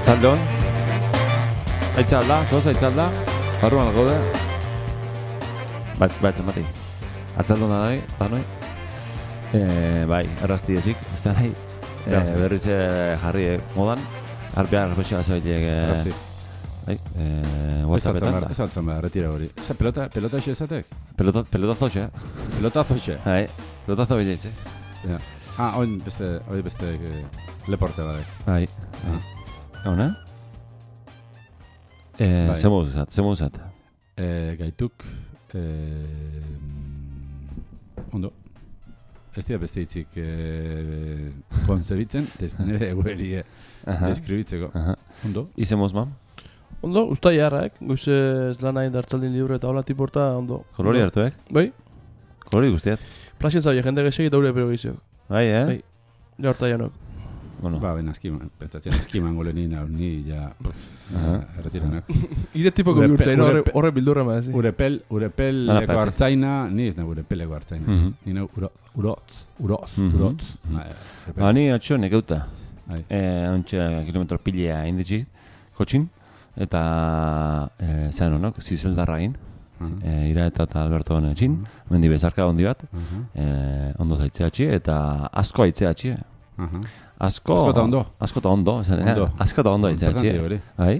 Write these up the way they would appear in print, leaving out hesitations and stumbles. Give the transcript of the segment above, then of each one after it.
Arratzaldon. Aitzalda, zoaz aitzalda. Barruan gaude. Bat zenbatei. Arratzaldon da nahi. Bai, errazti ezik. Ez da nahi. Berriz jarri modan. Arpea arpexoa zabaitek. Errazti. Bai, WhatsAppetan. Ez altzen behar, retira hori. Pelota xe esatek? Pelotazo xe. Pelotazo xe. Bai, pelotazo bilaitze. Hori beste leporte badek. Bai. Gauna? Zemuzat. Gaituk, ondo. Ez dira beste hitzik konzebitzen, ez nire egueri deskribitzeko. Ondo. Izemuz, mam? Ondo, usta jarrak, goize ez lan nahi dartzaldin libre eta hola tiporta, ondo. Kolori hartuek? Bai? Kolori guztiat? Plaxen zabe, jende gesek eta ure pero gizio. Bai, Bai, jarta janok. Bueno. Ba, ben askiman, pentsatzen askiman golenin hau ni ja erretiranak. Ire tipoko bihurtzain, horre bildurra ma ezi. Urepeleko hartzaina, ni ez nahi urepeleko hartzaina. Ni nahi urotz. Ni atxo nekeuta. Bai. Ontsa kilometro pilea inditxit, kotxin. Eta zean honok, zizeldarra egin. Ira eta Alberto honetxin. Mendi bezarka ondi bat. Ondo zaitzeatxi eta asko aitzeatxi. Asko eta ondo. Asko eta ondo aitzeatxi. Bai?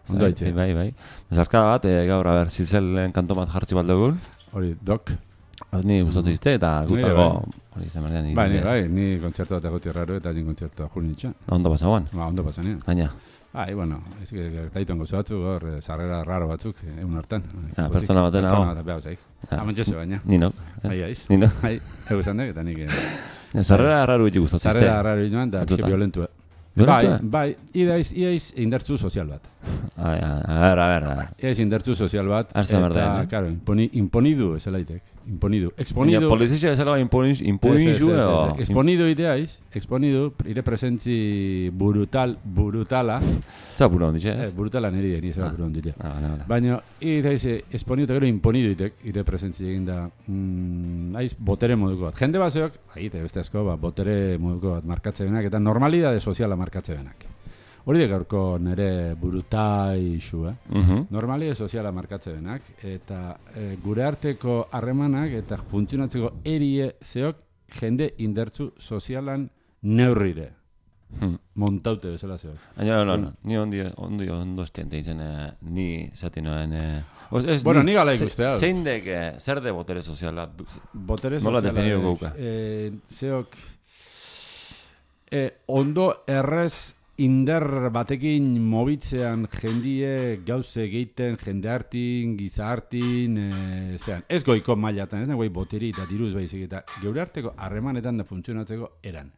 Ondo aitze. Bai. Bezarka bat, gaur zizelen kanto bat jartzi bat dugun. Hori, dok. Ni gustatzen izte eta gutako hori zemardean. Bai, ni kontzertu bat egoti erraro eta nin kontzertu jun nintxan. Ondo pasagoan? Ba, ondo pasan, Baina? Bai, bueno, ez gertaiton gauza batzuk, hor, sarrera raro batzuk, egun hartan. Pertsona baten hau. Pertsona bat behar zaik. Amantxezu baina. Ninok. Bai, aiz. Ninok. Bai, egu zandek eta nik. Sarrera raro beti gustatzen izte. Sarrera raro joan da, violentua. Bai, iaiz indartzu sozial bat. A ver. Iaiz indartzu sozial bat. Arza berda, eta, karo, imponidu ez elaitek. Imponidu. Exponidu. Polizia ez elago imponidu edo? Exponidu ideaiz. Exponidu, ire presentzi brutala. Zer buru onditxe, ez? Brutala niri ez buru onditxe. Vale. Baina, ideiz, exponidu eta gero imponidu itek, ire presentzi egin da, aiz, botere moduko bat. Jende baseok, beste asko, botere moduko bat markatze benak, eta normalidade soziala markatze benak. Hori de gaurko nire burutai isu, Normalidade soziala markatze benak, eta gure arteko harremanak eta funtzionatzeko erie zeok jende indartzu sozialan neurrire. Montaute bezala zeok. No. Ni ondo estiente izan, ni zatinoen... Bueno, ni gala ikustea. Zein dek, zer de botere soziala? Botere soziala... Nola definidu gauka? Zeok... Ondo errez indar batekin mobitzean jendie gauze egiten, jende hartin, giza hartin, zean. Ez goiko mailatan, ez nagoei boteri eta diruz baizik, eta geure arteko harremanetan da funtzionatzeko eran.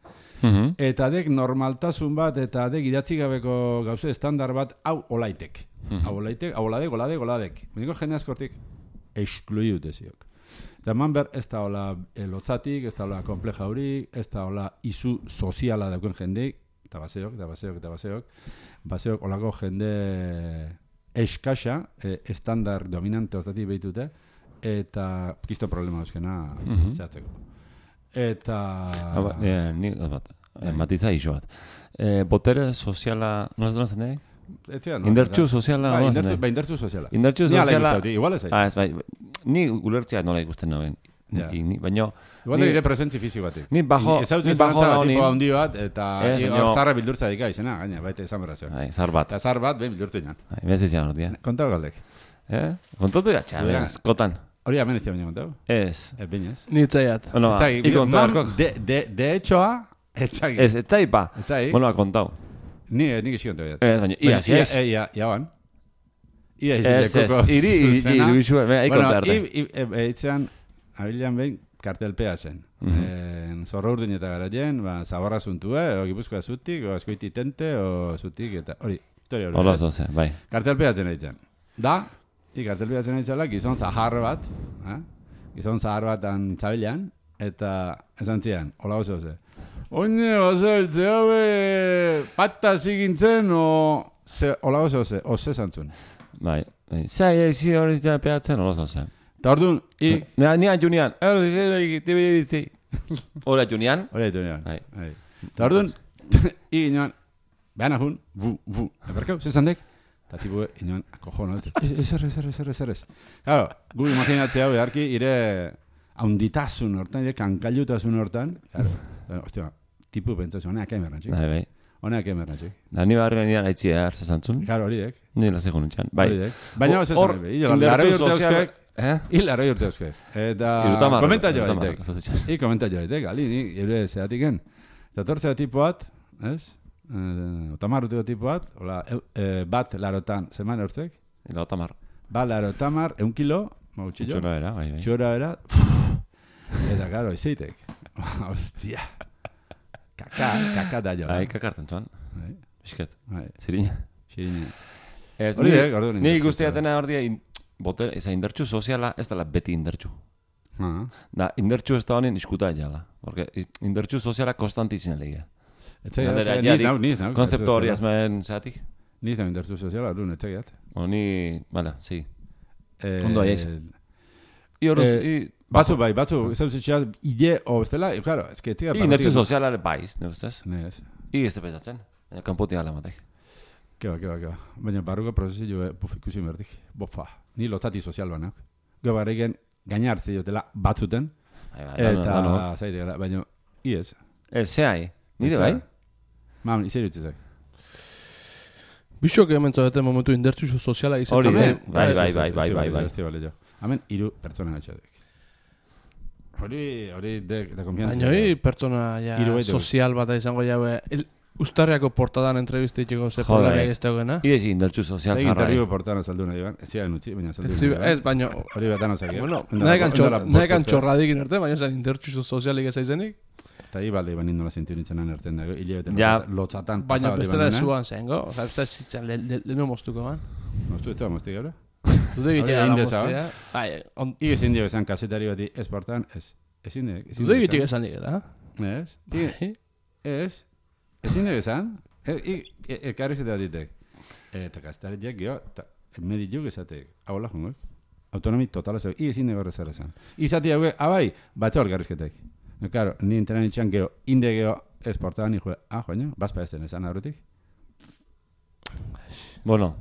Eta dek normaltasun bat, eta dek idatzi gabeko gauze estandar bat, hau olaitek. Hau oladek. Beniko jende askortik, eskluiut eziok. Eta manber, ez da hola lotzatik, ez da hola kompleja horik, ez da hola izu soziala daukuen jendeik, eta baseok. Baseok olako jende eskasa, estandar dominante hortatik behitute, eta kisto problema euskena zehatzeko. Eta... Nik bat, matiza iso bat. Botere soziala, nola zen nahi? Indartzu soziala, nola zen nahi? Indartzu soziala. Indartzu soziala... Igual ez aiz. Ni ulertzea nola ikusten nagoen. Baina... Igual da dire presentzi fisiko batik. Ni bajo da tipo handi bat, eta zarra bildurtza dika izena, gaina, baita izan berrazio. Zar bat. Eta zar bat, behin bildurtu inan. Bez izan hori, Kontau galdek. Kontatu da, txaberaz, kotan. Hori hemen ez dira baina kontau? Ez. Binez. Ni etzaiat. Iko kontau. De hechoa, etzagi. Ez, etzai pa. Bueno, kontau. Nik esi kontau. Ez, baina, iaz. Iauan. Ez, iri bizua, kontarte. Bueno, itzean, abilean behin, kartelpea zen. Zorro urdin eta garaien, zaborra zuntue, o gipuzkoa zutik, o askoiti tente, o zutik, eta hori, historia hori. Hola zoze, bai. Kartelpea zen eitzen. Kartelpea zen eitzela, gizon zahar bat, gizon zahar bat antzabilean, eta esan zian, hola oso ze. Oine, oso eltze haue, pata zigintzen, hola oso ze, oze zantzun. Bai, zai ezi hori peatzen, hola zoze. Eta orduan, Nian Junian. Hora Junian. Eta orduan, ginoan, Behan ahun, bu. Eberkau, zezandek? Eta tipu, inoen, akojona, ez. Claro, gu imaginatzea hau beharki, ire haunditasun hortan, ire kankailutasun hortan, claro, ostia, tipu pentsatzen, honeak emerrantzik. Bai. Honeak emerrantzik. Da, ni barri nian aitzia hartzazantzun. Claro, hori dek. Ni la segun utxan. Bai. Baina ez Hor, laroi urte euskek. Laroi urte euskek. Eta komenta joa ditek. Komenta joa ditek, gali, ni ere zehatiken. Eta tortzea tipo bat, ez? Otamar urteko tipo bat, hola, bat larotan, zeman eurtzek? Otamar. Bat larotamar, 1 kilo, mautxillo. Txora era, bai. Txora era. Eta, karo, izeitek. Hostia. Kaka da jo. Bai, kakarten zuan. Bisket. Zirina. Hori Ni guztiatena hor dia, eza indertxu soziala, ez dela beti indertxu. Da, indertxu ez da honen iskuta jala. Porque indertxu soziala konstanti izin legia. Niz nau. Konzeptu hori azmen zeatik? Niz nau indertxu soziala, hori netzegiat. Ni, bala, sí. Ondo aiz. Batzu, ez dut zitxeat, ide, o, ez dela, claro, ez que etziga... Indertxu soziala baiz, ne ustez? Nez. Ez te pesatzen, kanpoti ala matek. Keba. Baina barruko prozesio ikusi merdik. Bofa, ni lotzati sozial banak. Gero barriken gaina hartzi dutela batzuten. Eta zaite gara, baina iez. Zehai, nire bai? Mam, izan dutzizak. Bixok hemen zaudete momentu indertxu soziala izatea. Bai. Hemen 3 pertsona gatxatek. Hori de konfianza. Baina hori pertsona sozial bat izango jaue. Uztarriako portadan entrevistitxeko ze problema ez dagoena. Iezi indertxu sozial zarra. Interriu portadan saldu nahi ban. Ez zian utzi, baina saldu nahi. Ez, baina... Hori betan osakia. Bueno, nahekan txorradik inerte, baina zen indertxu sozialik ez aizenik. Eta ibalde iban indola zintiu nintzen erten dago. Ilebete lotzatan baina bestera zuan zengo. Oza, ez da zitzen lehenu moztuko ban. Moztu ez da moztik gara? Zude egitea da moztea. Ige zindio esan kasetari bati ez portan, ez. Zude egitea esan digera. Ez. Ezin dugu esan, ekarri zetea ditek. Eta kasetariak geho, medit juk esatek, hau la jungok. Autonomi total ezak, ezin dugu horrezara esan. Izati hau, abai, batza hor garrizketek. Karo, ni interan itxan geho, inde geho, esportadan, ni joe, joaino, bazpa ez den esan aurretik. Bueno,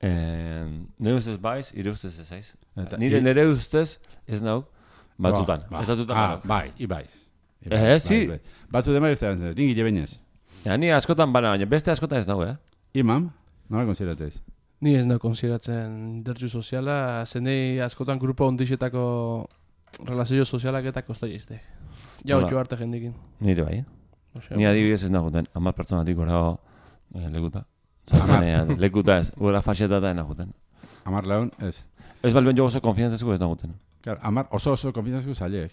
nire ustez baiz, ire ustez ez aiz. Nire ustez ez nauk, batzutan. Baiz, ibaiz. Si. Batzu dema ez da, dingi jebenez. Ja, ni askotan bana, baina beste askotan ez nago, Imam, nola konsideratzeiz? Ni ez nago konsideratzen indertxu soziala, zenei askotan grupo ondixetako relazio sozialak eta kostai izte. Jau txu arte jendikin. Nire bai, Ni adibidez ez naguten, 10 pertsonatik gorago lekuta. Lekuta ez, gura faxetata ez naguten. 10 lagun, ez. Ez balben jo oso konfiantzazko ez naguten. Claro, 10 oso konfiantzazko zaileek.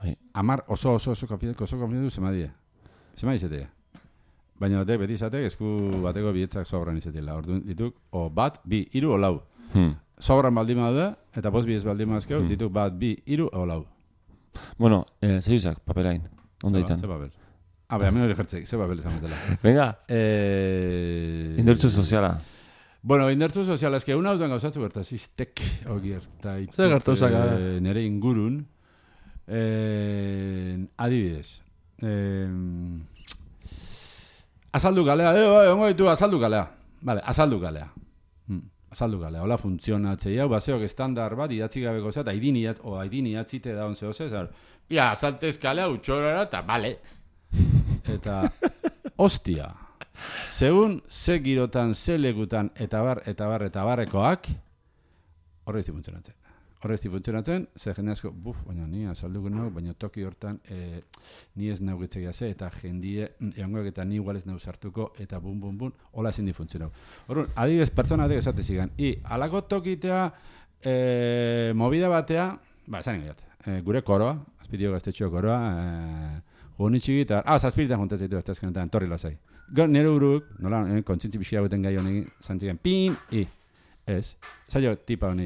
10 oso konfiantzazko zemadie. Zema izatea. Baina beti izateak esku bateko bietzak sobran izatela. Orduan dituk, o bat, bi, iru, o lau. Sobran baldima da, eta bost bi ez baldima azkeu, dituk bat, bi, iru, o lau. Bueno, zehuzak, papelain. Onda ditzan. Ze papel. Baina hemen hori jertzek, ze papel izan betela. Venga. Indertzu soziala. Bueno, indertzu soziala, eske una autuan gauzatzu gertaziztek, gertaituk. Zer gertauzak? Nere ingurun. Adibidez. Azaldu galea, ongo ditu azaldu galea. Vale, azaldu galea. Azaldu galea, hola funtzionatzei hau, baseok estandar bat, idatzi gabeko zea, eta aidin idatzite da onze oze, azaltez galea, utxorara, eta bale. Eta, ostia, segun ze girotan, ze legutan, eta barrekoak, horre izti funtzionatzen. Ze jende asko, baina ni azalduko nago, baina toki hortan ni ez naugitzegia ze, eta jendie, egongoak eta ni igual ez nauzartuko, eta bun, hola ezin di funtzionau. Horren, adibidez, pertsona batek esate zigan, alako tokitea, movida batea, esan ingaiat, gure koroa, azpitio gaztetxo koroa, honitxiki, eta, zazpiritan juntaz ditu aztezkenetan, torri lazai. Nere uruk, nola, kontzintzi pixia guten gai honekin, zantzigen, pin, ez, zailo tipa honi,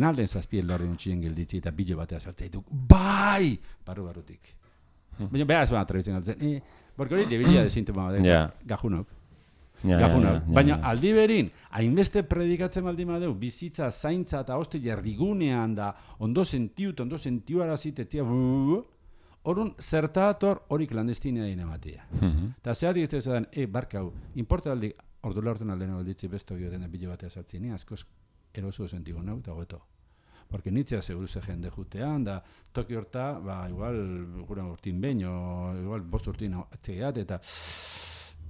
nalden zazpien lorri untxien gilditzi eta bilo batea zartzea dituk, bai! Barrutik. Baina behar ez baina trebitzen galtzen, borko hori debilia de sintoma bat, gajunok. Baina aldi berin, hainbeste predikatzen baldin badeu, bizitza, zaintza eta hoste jardigunean da, ondo sentiu arazit, etzia, Orrun zertator hori klandestinea inematia. Eta zehatik ez da, barkau, importaldik, ordula horten aldena balditzi besto dena bile batea sartzen, ni askoz eroso sentigo nau, eta goeto. Porque nitzea seguruze jende jutean, da toki horta, igual, gura urtin behin, o igual bost urtin atzegeat, eta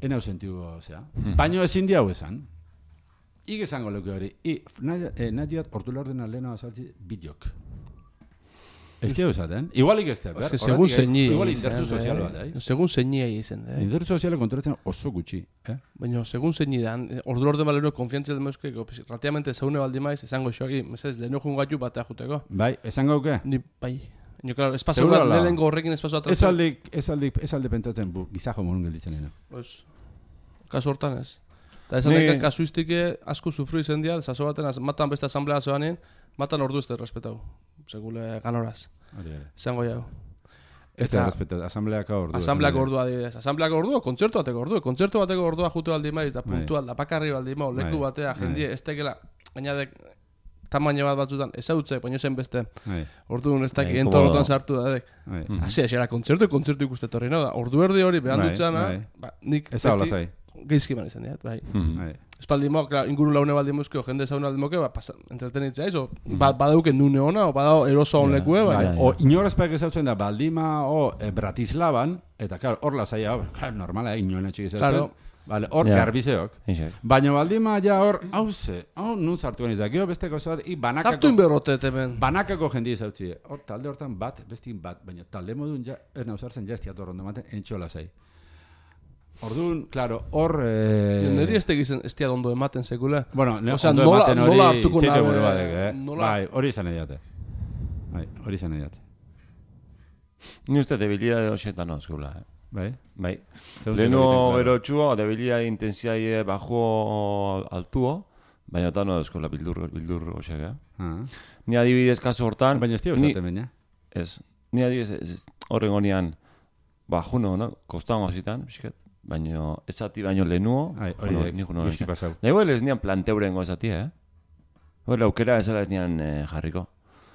enau sentigo, baino ezin diau esan. Ik esango leuke hori, nahiat ordula horten aldena azaltzi bideok. Ez diau esaten, igualik ez diau, segun zeini, igual indertzu sozial bat, segun zeini izen, indertzu soziala kontrolatzen oso gutxi, baina segun zeini da, ordu orde balero konfiantzia den meuzkeko, relativamente zeune baldi maiz, esango xoaki, mesez, leheno jungatu batea juteko. Bai, esango auke? Ni, bai. Nio, klaro, espazio bat, lehenengo horrekin espazio bat. Ez alde pentsatzen, gizajo morun gelditzen leheno. Pues, kasu hortan ez. Eta esan deke kasuistike asko sufru izen dia, zazo baten, matan beste asamblea zoanen, matan ordu ez da respetau. Segule ganoraz. Zango jau. Ez da respetau, asambleako ordua. Asambleako ordua adibidez. Asambleako ordua, kontzertu bateko ordua. Kontzertu bateko ordua jute baldi maiz, da puntual, da pakarri baldi maiz, leku batea, jendie, ez tekela, gainadek, tamaino bat batzutan, ezautzek, baino zen beste. Orduan ez dakik, entorotan sartu da, edek. Asi, esera, kontzertu ikuste torri, no? Ordu erdi hori, behan dutxana, nik beti geizkiman izan diat, bai. Espaldi mo, inguru laune baldi mozkeo, jende zaune baldi moke, entretenitzea ez, badauken nune ona, o badau eroso hon lekue, bai. O inorazpeak ezautzen da, baldima, Bratislavan, eta klar, hor lasaia, normala, inoen etxik ezautzen, hor garbizeok. Baina baldima, ja hor, hau nun sartu geniz da, geho besteko zoat, sartu inberrotet hemen. Banakako jendi ezautzi, hor talde hortan bestin bat, baina talde modun, ez nauzartzen, ja estiat horrondo maten, entxo lasai. Orduan, claro, hor... Neri ez tegizen estia ondo ematen sekula. Bueno, ondo ematen hori txeite buru badek, Bai, hori izan ediate. Bai, hori izan ediate. Ni uste debilidade hoxetan ozkula, Bai? Bai. Lehenu berotxuo, debilidade intensiaie bajo altuo, baina eta no ozkula bildur hoxek, Ni adibidez kasu hortan... Baina ez tia usaten baina? Ez. Ni adibidez horren gonian bajuno, kostango zitan, bisket. Baina ezati baino lehenuo, hori guzti pasau. Da igual ez nian planteurengo ezati, Hore aukera ezala ez nian jarriko.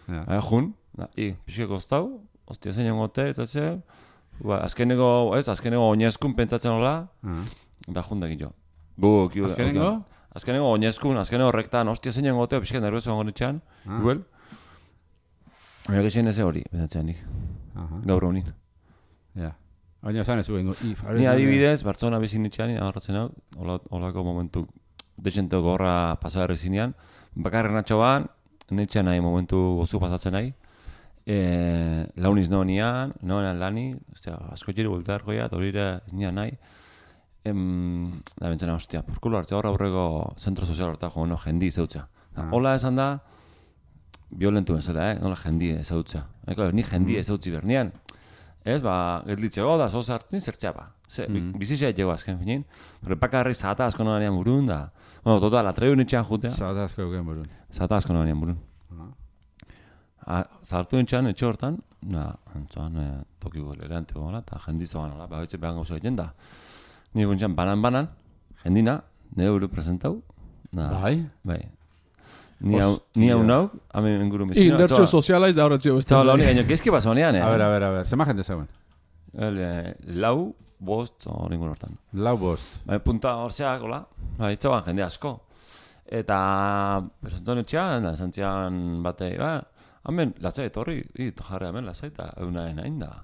Jun, pixke kostau, ostia zein jongote, eta ze, azkeneko oinezkun pentsatzen hola, da jun dakit jo. Azkeneko? Azkeneko oinezkun, azkeneko rektan, ostia zein jongote, pixke nervioso gonetxean, igual. Baina gexen eze hori, pentsatzen nik. Gaur honin. Ja. Baina zan ez ugengo. Ni adibidez, Bartzona bezin itxean, agarratzen hau, holako momentu dexenteko gorra pasagarri zinean, bakarren atxoan, netxean nahi momentu gozu pasatzen nahi, launiz noenean lani, asko jiri bultar goia, eta horire ez nian nahi, da bentzena, ostia, porkulo hartzea horra aurreko zentro sozial horta jo, jendi izautza. Hola esan da, violentu bezala, nola jendi izautza. Ni jendi izautzi bernian. Ez, gelditzeko da, zoz hartzen zertzea ba. Bizizia etxeko azken finin. Pero bakarri zata asko noanean burun da. Bueno, total, atreu nitxean jutea. Zata asko euken burun. Zata asko noanean burun. Zartu nitxean etxe hortan, antzuan tokiko leranteko gola, eta jendizo ganola, betxe behan gauza egiten da. Nire guntxean banan, jendina, nire buru presentau. Bai. Ni hau nauk, hamen inguru mezina. Indertxo sozialaiz da horretzio beste. Txau, launi, gaino, gezki baso honean, A ver, zema jende zegoen? Lau, bost, hori ingun hortan. Lau, bost. Punta horzeak, hola, itxauan jende asko. Eta, presentoan etxean, zantzian batei, hamen, latzai, etorri, jarri hamen latzai, eta eunaen hain da.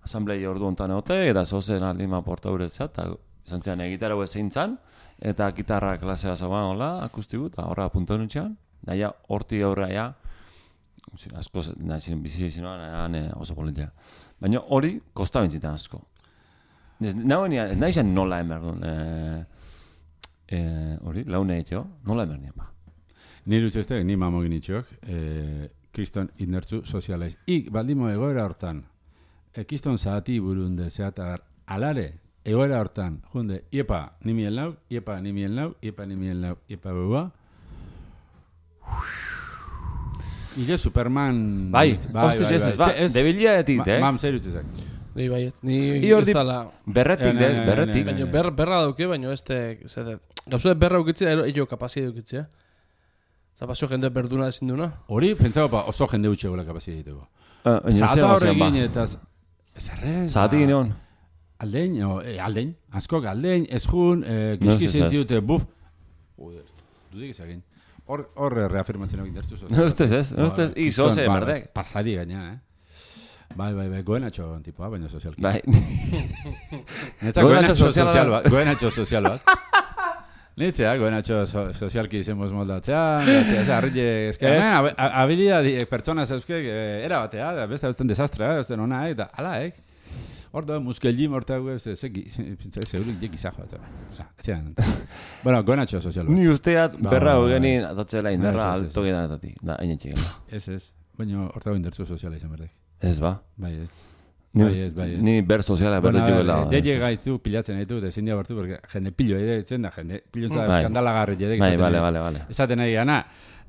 Asamblei ordu ontan egote, eta zozen alima porta uretzea, eta zantzian egitara zein zan, eta gitarra klasea zaban, hola, akustiku, eta horra puntoan etxean. Daia, horti horra, asko bizi zinoan, oso politia. Baina hori, kosta bentzitan asko. Nahi izan nola emerdun, hori, laune etxeo, nola emerdun ba. Nire utxeztek, ni mamogin itxok, kriston indertzu sozialaiz. Baldimo egoera hortan, kriston zahati burunde, zehatar, alare, egoera hortan, junde, iepa nimien lau, iepa bua, Ile Superman... Bai, hostia, ez, debilia etit, Mam, zer utizak. Ni baiet, ni ez tala... Berretik. Baina berra dauke, baina ez te... Gauzu berra dukitzea, ello kapazia dukitzea. Eta pasio jende berduna ezin duna. Hori, pentsago oso jende utxe gola kapazia diteko. Zata horrekin eta... Zerre? Zati gineon. Aldein, askok aldein, ezjun, gizki sentiute, buf. Dudik ezagin. Hor reafirmatzen hori indertu zoz. No ustez ez, no ustez, izoze, merdek. Pasari gaina, Bai, goenatxo tipoa, baina sozialki. Bai. Goenatxo sozial bat. Nitzea, goenatxo sozialki izemos moldatzea, arrile ezkean, habilidad pertsona zeuzkek, era batea, beste beste desastra, beste nona, eta ala, hor da, muskeljim horta zeurik jekizajo. Bueno, goenatxo sozial bat. Ni usteat, berra hogenin, atatzela inderra alto gedanetatik, da, hain etxegela. Ez, baina horta indertzu soziala izan berdek. Ez ba? Bai, ez. Ni ber soziala berdu juela. Deie gaitu pilatzen ditu, ezin dia bartu, porque jende pillo etzen da, jende pillontza eskandalagarri jedek. Bai. Esaten nahi gana,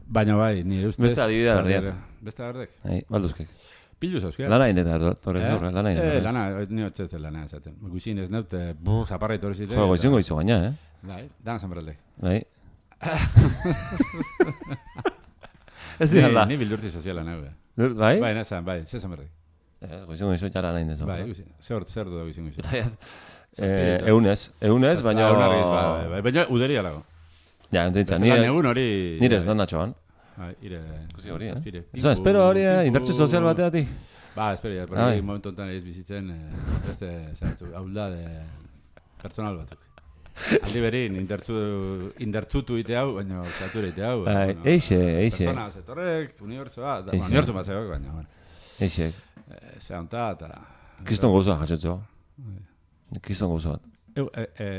baina bai, nire ustez. Beste adibidea berdiat. Beste berdek. Balduzkek. Pillo zauzkia. Lana indeta, torrez horre, lana indeta. Lana, nire otzetzen lana esaten. Guizin ez naut, zaparra itorri ziren. Jo, goizun goizu gaina, Bai, dana zanberaldek. Bai. Ez ziren da. Ni bildurti soziala nahu, Bai? Bai, nazan, bai, zezan berdik. Ez, goizun goizu jara nahi indezo. Bai, zer du da goizun goizu. Eunez, baina... Baina uderia lago. Ja, entzaitza, nire ez da natxoan. Ire... Kusi hori, Eso, espero hori, indartxe sozial bateatik. Ba, espero, porque momentu enten ez bizitzen, beste, hauldade personal batzuk. Aldi berin, indartzutu ite hau, baina zature ite hau. Eixe. Persona zetorrek, unibertsoa, unibertso bat zegoek, baina. Eixe. Zeonta, eta... Kiston gozoa, jatxetzo. Kiston gozo bat.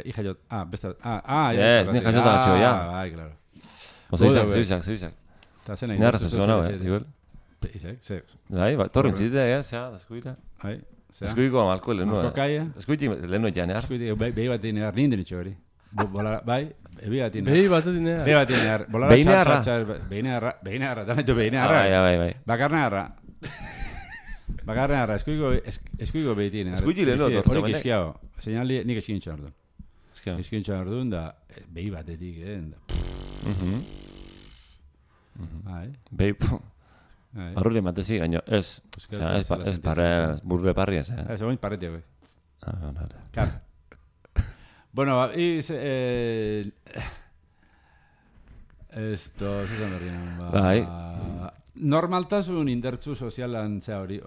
Ija jot, besta... Ni jatxota gatxo, ja. Bai, claro. Zeibizak. Nera zezio nago, igual. Izak. Bai, torren zitea, zea, eskuila. Bai. Eskuiko amalko lehenu. Marko kaia. Eskuiti lehenu janear. Eskuiti, behi bat inear, nindin itxo hori. Bai, behi bat inear. Behi bat inear. Behi bat inear. Behinearra. Behinearra, danaitu behinearra. Bai. Bakarnearra, eskuiko behi tinear. Eskuiti lehenu tortzo, hori kizkiago. Señali, nik eskintxo ardun. Eskintxo ardun, da, behi batetik, Behi, barruri matezi, gaino, ez burre parri ez, Ez, oin parreti hauek. Vale. Kar. Bueno, zuzan berrian, Bai. Normaltasun indertzu sozialan zea hori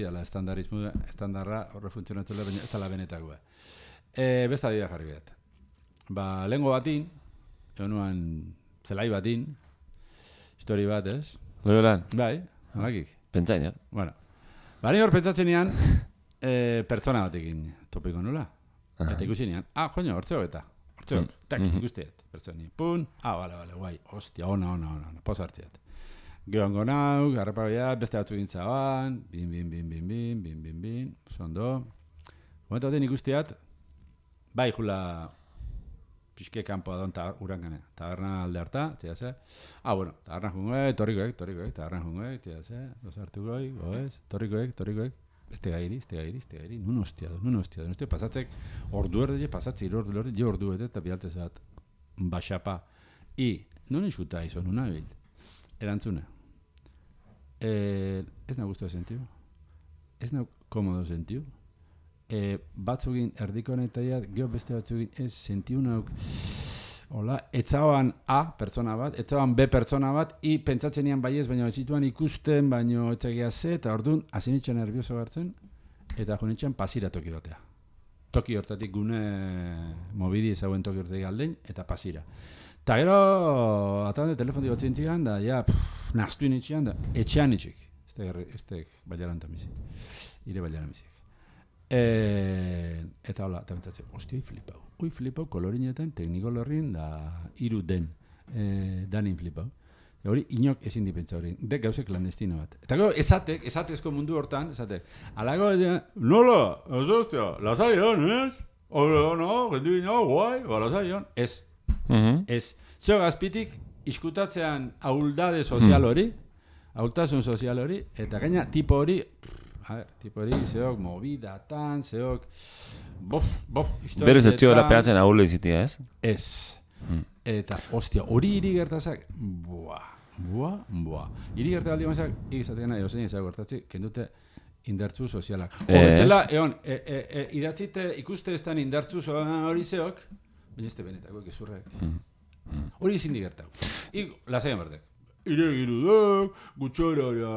dela estandarra horre funtzionatzela, baina ez dela benetakoa. Besta dira jarri behar. Lehengo batin, egonuan zelai batin, histori bat, ez? Loiolan? Bai, halakik. Pentsain, Bueno, ni hor pentsatzen nian, pertsona batekin topiko nula. Eta ikusi nian, joño, hortzeo eta. Hortzeo, tak, ikusteet, pertsoni. Pun, bale, guai, hostia, ona, poz hartzeat. Geoango nau, garrapabia, beste batzu gintzaban, bin, sondo. Momentu batean ikusteat, bai, jula pixke kanpoa don urangane. Taberna alde harta, tia ze. Bueno, taberna jungoek, torrikoek, taberna jungoek, tia ze. Dos hartukoik, goez, torrikoek. Este gairi, nun hostia, pasatzek, ordu erdile, pasatzei ordu erde, eta bialtze zat, baxapa. Nun iskuta izo, nuna bil. Erantzune. Ez nahi guztua sentiu. Ez nahi komodo sentiu. Batzugin erdiko honetaia, geho beste batzugin ez sentiu nauk. Hola, etzaban A pertsona bat, etzaban B pertsona bat, pentsatzen nian baiez, baina ezituan ikusten, baina etzagia ze, eta orduan, azinitxan nervioso hartzen, eta jonitxan pasira toki batea. Toki hortatik gune mobidi ezauen toki hortatik aldein, eta pasira. Eta gero, atande telefonik batzen zigan, da, naztu initxian, da, etxean itxik. Ez baiaran tamizik. Ire baiaran tamizik. Eta hola, eta bentsatzen, ostia, oi flipau, kolorinetan, teknikolorrin, da, iru den, danin flipau. Hori, inok ezin dipentsa hori, dek gauze klandestino bat. Eta gero, esatezko mundu hortan, alago, nola, ez ostia, lasaion, ez? No, gendibina, guai, lasaion, ez. Ez. Zeo gazpitik, iskutatzean ahuldade sozial hori, ahultasun sozial hori, eta gaina tipo hori, zeok movidatan, zeok... Berez etxiola peatzen ahullo izitia, ez? Ez. Eta, ostia, hori hiri gertazak, buah. Hiri gertazak aldi mazak, ikizatean nahi, ozein ezak gertatzi, kendute indartzu sozialak. Bestela, idatzite ikuste estan indartzu hori zeok, baina ez benetako gezurrek. Hori izin digertau. Lasaian berdek. Iregiru da, gutxorara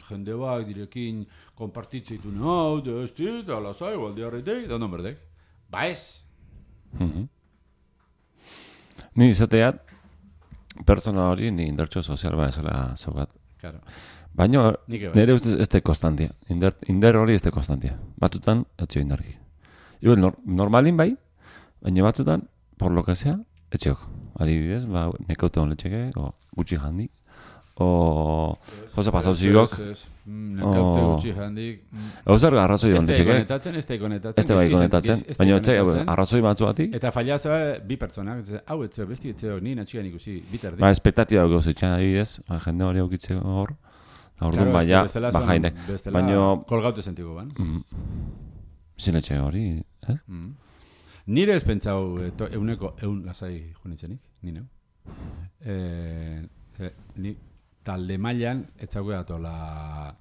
jende bak direkin konpartitzitu nahau, eta lasai, baldearretek, da non berdek. Ba ez. Ni izateat, pertsona hori ni indartxo sozial ba ezala zaugat. Claro. Baina nire ustez ez da konstantia. Indar hori ez da konstantia. Batzutan, etxeo indarrik. Igual, normalin bai, baina batzutan, por lo que sea, etxeok. Adibidez, nekaute hon letxeke, o gutxi handik, o josa pasauzigok. Nekaute gutxi handik. Hauzer arrazoi hon letxeke. Ez da konetatzen. Ez da bai konetatzen. Baina arrazoi batzuatik. Eta fallazua bi pertsonak, hau etzeo, besti etzeo, ni natxigan ikusi, bitardik. Espektatiba gauz etxean adibidez, jende hori aukitzeko hor. Orduan baina, bajainek. Baina kolgaute sentiko ban. Zinetxe hori, ez? Nire ez pentsau euneko lasai junitzenik, nire. Ni talde mailan etzauko datola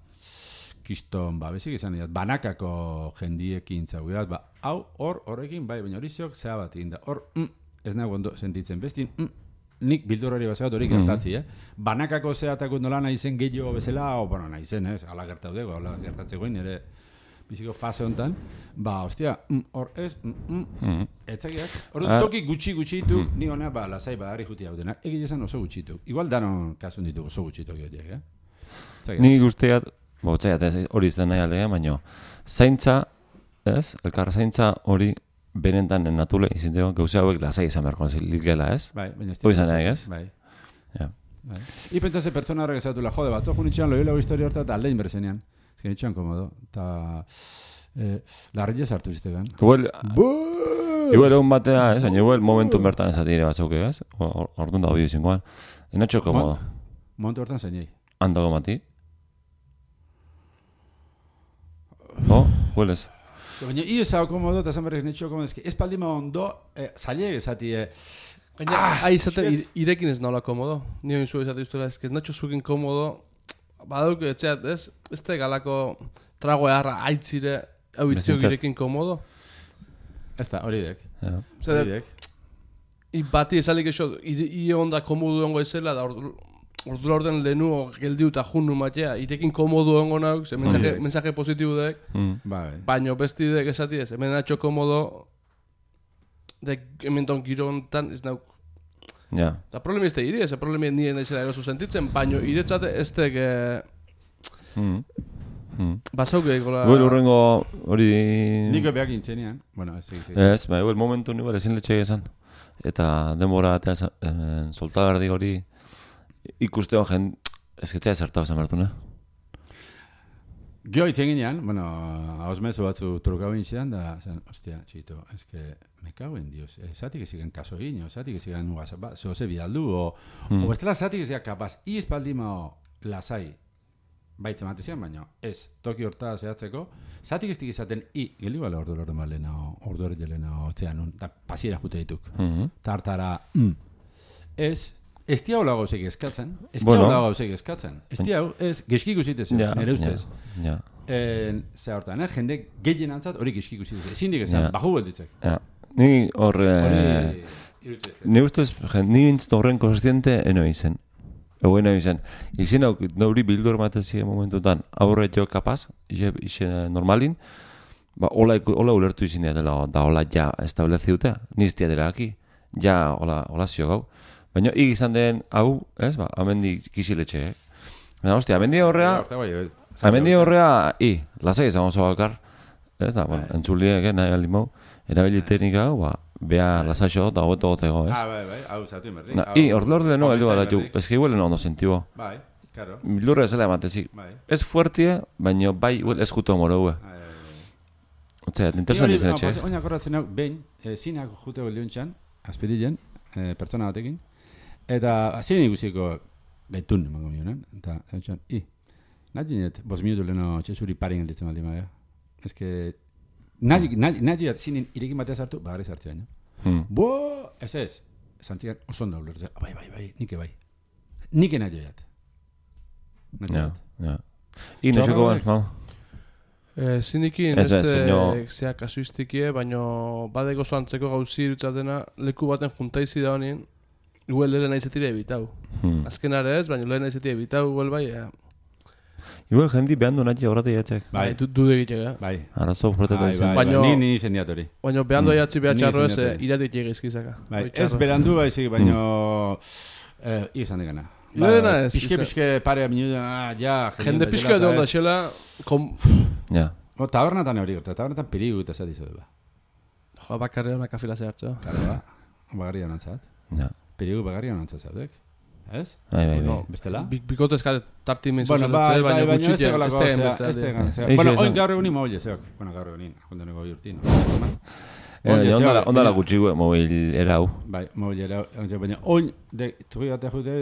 kiston, bezik izan dira, banakako jendiekin zauko dat, hau horrekin, bai, baina hori zeok zea bat egin da. Hor, ez nago ondo sentitzen, bestin, nik bildur hori bazagat hori gertatzi, Banakako zeatakut nola nahi zen gehiago bezala, o, bueno, nahi zen, ala gertaudeko, ala gertatzegoin, ere biziko fase honetan, ostia, hor ez, etzakiak. Hor toki gutxi ditu, ni hona, lasai badarri juti hau denak, egile zen oso gutxitu. Igual danon kasun ditu oso gutxitu horiek, Ni guztiat, hori izan nahi aldea, baina zaintza, ez, elkar zaintza hori benetan natule izinteko gauze hauek lasai izan beharko zilgela, ez? Bai, baina ez. Hori izan nahi, ez? Bai. I pentsase pertsona horrek ezatula, jode, batzok unitxean loilago historia horta eta aldein berzenean. Ez genitxean komodo. Eta larrilez hartu ziztegan. Igual egun batea, ez? Igual momentu bertan ezatire batzauke, ez? Orduan da hori izinkoan. Enatxo komodo. Momentu bertan zeinei. Andago mati. Huelez. Baina ez hau komodo, eta zan berrek netxo komodo, ez paldima ondo, zailek ezatie... Gaina, izaten irekin ez naula komodo. Nio inzu ezate usteela, ez natxo zukin komodo, badauk etxeat, ez te galako trago eharra aitzire, hau itziok irekin komodo. Ez da, hori dek. Bati ezalik eso, onda komodo dongo ezela, da ordura orden lehenuo geldiu eta junnu matea, irekin komodo ongo nauk, mensaje positibo dek, baino besti dek esati ez, hemen natxo komodo, dek hementon giro honetan ez nauk. Eta problemi ez da iri, ez problemi nire naizela erosu sentitzen, baino iretzate ez dek... Basauke gola... Igual urrengo hori... Niko behak intzenean, bueno, ez egiz. Ez, igual momentu nire ezin letxe egizan. Eta denbora eta soltagardik hori ikuste hon ezketzea ezertau zamertu, ne? Gio itzen ginean, bueno, hauz mezu batzu trukau intzidan, da, zen, ostia, txito, ezke, me cago en Dios, zatik ezigan kaso egin, zatik ezigan zoze bidaldu, o bestela zatik ezigan kapaz, izpaldima lasai, baitzen matezian, baina ez, toki horta zehatzeko, zatik eztik izaten, gildi bala ordu balena, ordu hori jelena, otzean, eta pasiera jute dituk, tartara, ez tia hola gauzek eskatzen, ez tia ez geskik usitez, nire ustez. Zer hortan, jende gehien antzat hori geskik usitez, ezin dik ezan, baju belditzek. Ni horre, nire ustez, nire intzit horren konstiente eno izen. Eguen izen, izin hau, nori bildur matezien momentutan, aurre jo kapaz, ize normalin, hola ulertu izin dela, da hola ja estableziutea, niztia dela aki, ja hola zio gau. Baina izan den hau, ez, amendi kisiletxe, Baina, hostia, amendi horrea, lasai izan oso bakar, ez da, bueno, entzuliek, nahi alimau, erabili teknika hau, bea lasaixo eta hobeto gotego, ez? Bai, hau zatu inberdi. Ordure no, heldu bat datu, ez que igual ondo sentibo. Bai, claro. Bildurra ezela ematezik. Ez fuertie, baina bai, ez juto moroue. Otzea, interesan dizen etxe. Oina korratzen hau, behin, zinak jute goldiuntxan, azpedilen, pertsona batekin, eta zinen ikusiko betun emango mionen, eta txan, nahi dinet, 5 minutu leheno txezuri parin gelditzen baldi maia. Ez que, nahi diat zinen irekin batea sartu, bagarri sartze baina. Ez, zantzikan oso ondo ulertzen, bai, nike bai. Nike nahi diat. Ja. Inexeko ban, Zinikin, zea kasuistikie, baina badeko zoantzeko gauzi irutzatena, leku baten juntaizi da honien, igual lehen aizetire ebitau. Azkenare ez, baina lehen aizetire ebitau, igual bai, igual jendi behan du natxe horreti jatzek. Bai, dude egitek, bai. Arazo fuerteta izan. Ni zendiatori. Baina behan du jatzi behatxarro ez, iratik egizkizaka. Bai, ez berandu baizik, baina izan degana. Lehena ez. Piske pare minutu, ja. Jende pixka edo onda xela, ja. Tabernatan hori gorta, tabernatan perigu eta zati zodu ba. Joa, bakarri honak afila zehartzo. Claro, ba, bagarri honantzat. Ja. Perigu bagarri honantzat zaudek. Ez? Bai. Bestela? Bikotezka tarti min zuzen dutze, baina gutxit Bueno, oin gaur egunin mobil zeok. Bueno, gaur egunin, jondeneko biurtin. Ondala gutxi mobil erau. Bai, mobil erau. Baina oin, turri bat jute,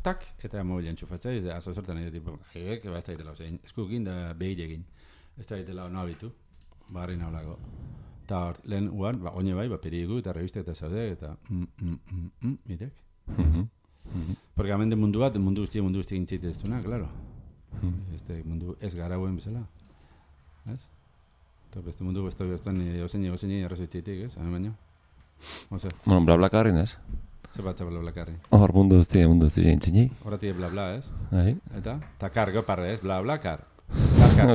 tak, eta mobil entxufatzea, azo sortan edo tipo, ez da egitela, eskukin da behiregin. Ez da egitela no abitu, bagarri naulako. Eta lehen uan, oine bai, perigu eta revista eta zaude, eta mitek. Porque hemen de mundu bat, mundu guzti gintzeite ez duna, claro. Este mundu ez garauen bezala. Ez? Eta beste mundu beste ozein errazoitzeitik, ez? Hemen baino. Ose. Bueno, blablakarrin ez? Zer bat blablakarrin? Hor mundu guzti gintzini. Horretik blabla, ez? Eta? Ta kargo parre, ez? Blabla-kar.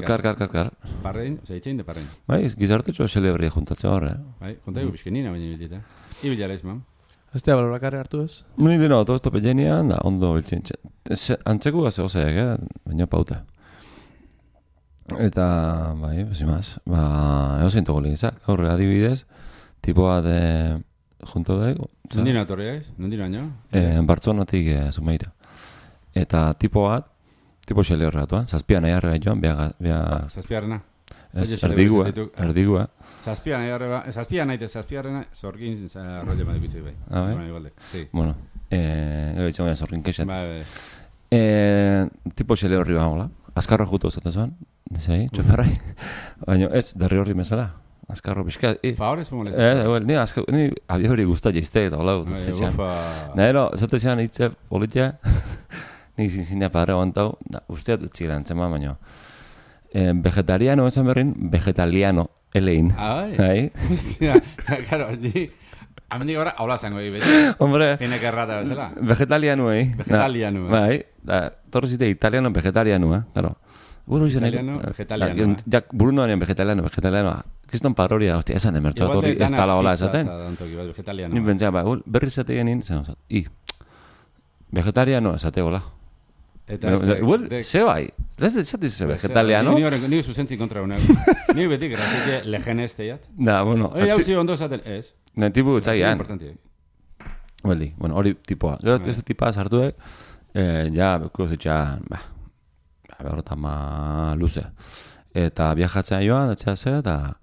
Kar. Parrein, zeitzein de parrein. Bai, gizartetxo celebri juntatzea horre. Bai, kontaigu bizkenina baina biltita. Ibilara ez, mam. Ez da blablakarri hartu ez? Muni dino, todo esto pellenian, da, ondo biltzen. Antzeko gaze oseak, baina pauta. Eta, bai, besimaz, egozein togo lehizak, horre adibidez, tipoa de junto dago. Nondina atorri gaiz? Nondina año? Bartzonatik Zumeira. Eta tipo xele horregatuan, zazpian nahi harrega joan, Zazpiarrena? Erdigua. Zazpian nahi zazpiarrena, zorgin rolle madikutzik bai. Bai? Bueno, gero itxan baina zorgin keixet. Bai. Tipo xele horri bagola. Azkarro jutu zaten zuen, txoferrai. Baina ez, derri horri bezala. Azkarro pixka. Favorez fumolez? Ni abia hori guztat jaizte eta hola. Nahero, zatezean hitze politia, nik zinzindea padre guantau, usteat txigela entzema, baina vegetariano esan berrin, vegetaliano, elein. Bai? Hostia, karo, amendik gora, hola zango beti. Hombre. Hinek errata bezala. Vegetaliano, Vegetaliano. Bai, torro zite italiano, vegetariano, claro. Italiano, vegetaliano. Jak, Brunoaren vegetaliano. Kiston paroria, hostia, esan emertxo, torri ez tala hola esaten. Vegetaliano. Nin bentzea, berri zate genin, zen osat. Vegetariano esate hola. Igual, ze bai. Zatiz vegetaliano? Ni zuzentzik kontra una. Ni beti grazik lehen ez teiat. Da, bueno. Hori hau ondo zaten ez. Tipu txaian. Bueno, hori tipoa. Gero ez tipa sartuek, ja, beko zitxan, berrotama luze. Eta viajatzen joan, eta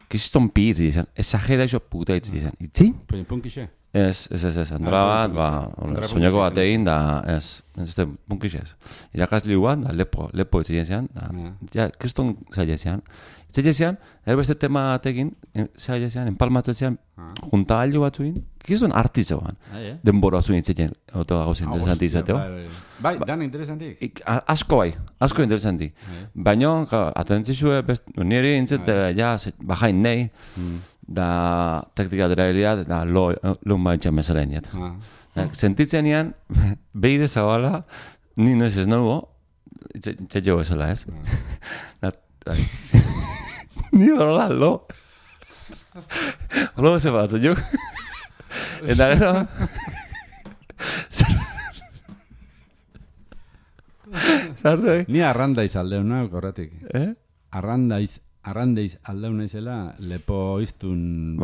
kiston pizzi izan. Exagera iso puta izan. Itzin? Punkixe? Ez, Andra bat, soñako bat egin, da, ez punkixez. Irakasli guan, da, lepo etxeien zean, ja, kriston zaila zean. Etxeien zean, erbeste tema batekin, zaila zean, empalmatzen zean, junta alio batzuin, kriston artizoan. Denbora zuin etxeien, oto gauz interesanti izateo. Bai, dan interesantik? Asko interesanti. Baina, atentzizue, nire intzet, ja, bajain nahi, da taktika deraileat, da lo maitxan bezalain jat. Sentitzen ean, behide zabala, ni noiz ez nago, itxetxo bezala ez. Ni horrela, lo. Horrela beze batzen jo. Eta gero... Zartu, Ni arrandaiz aldeuna, korratik. Arrandaiz aldeuna izela, lepoiztun,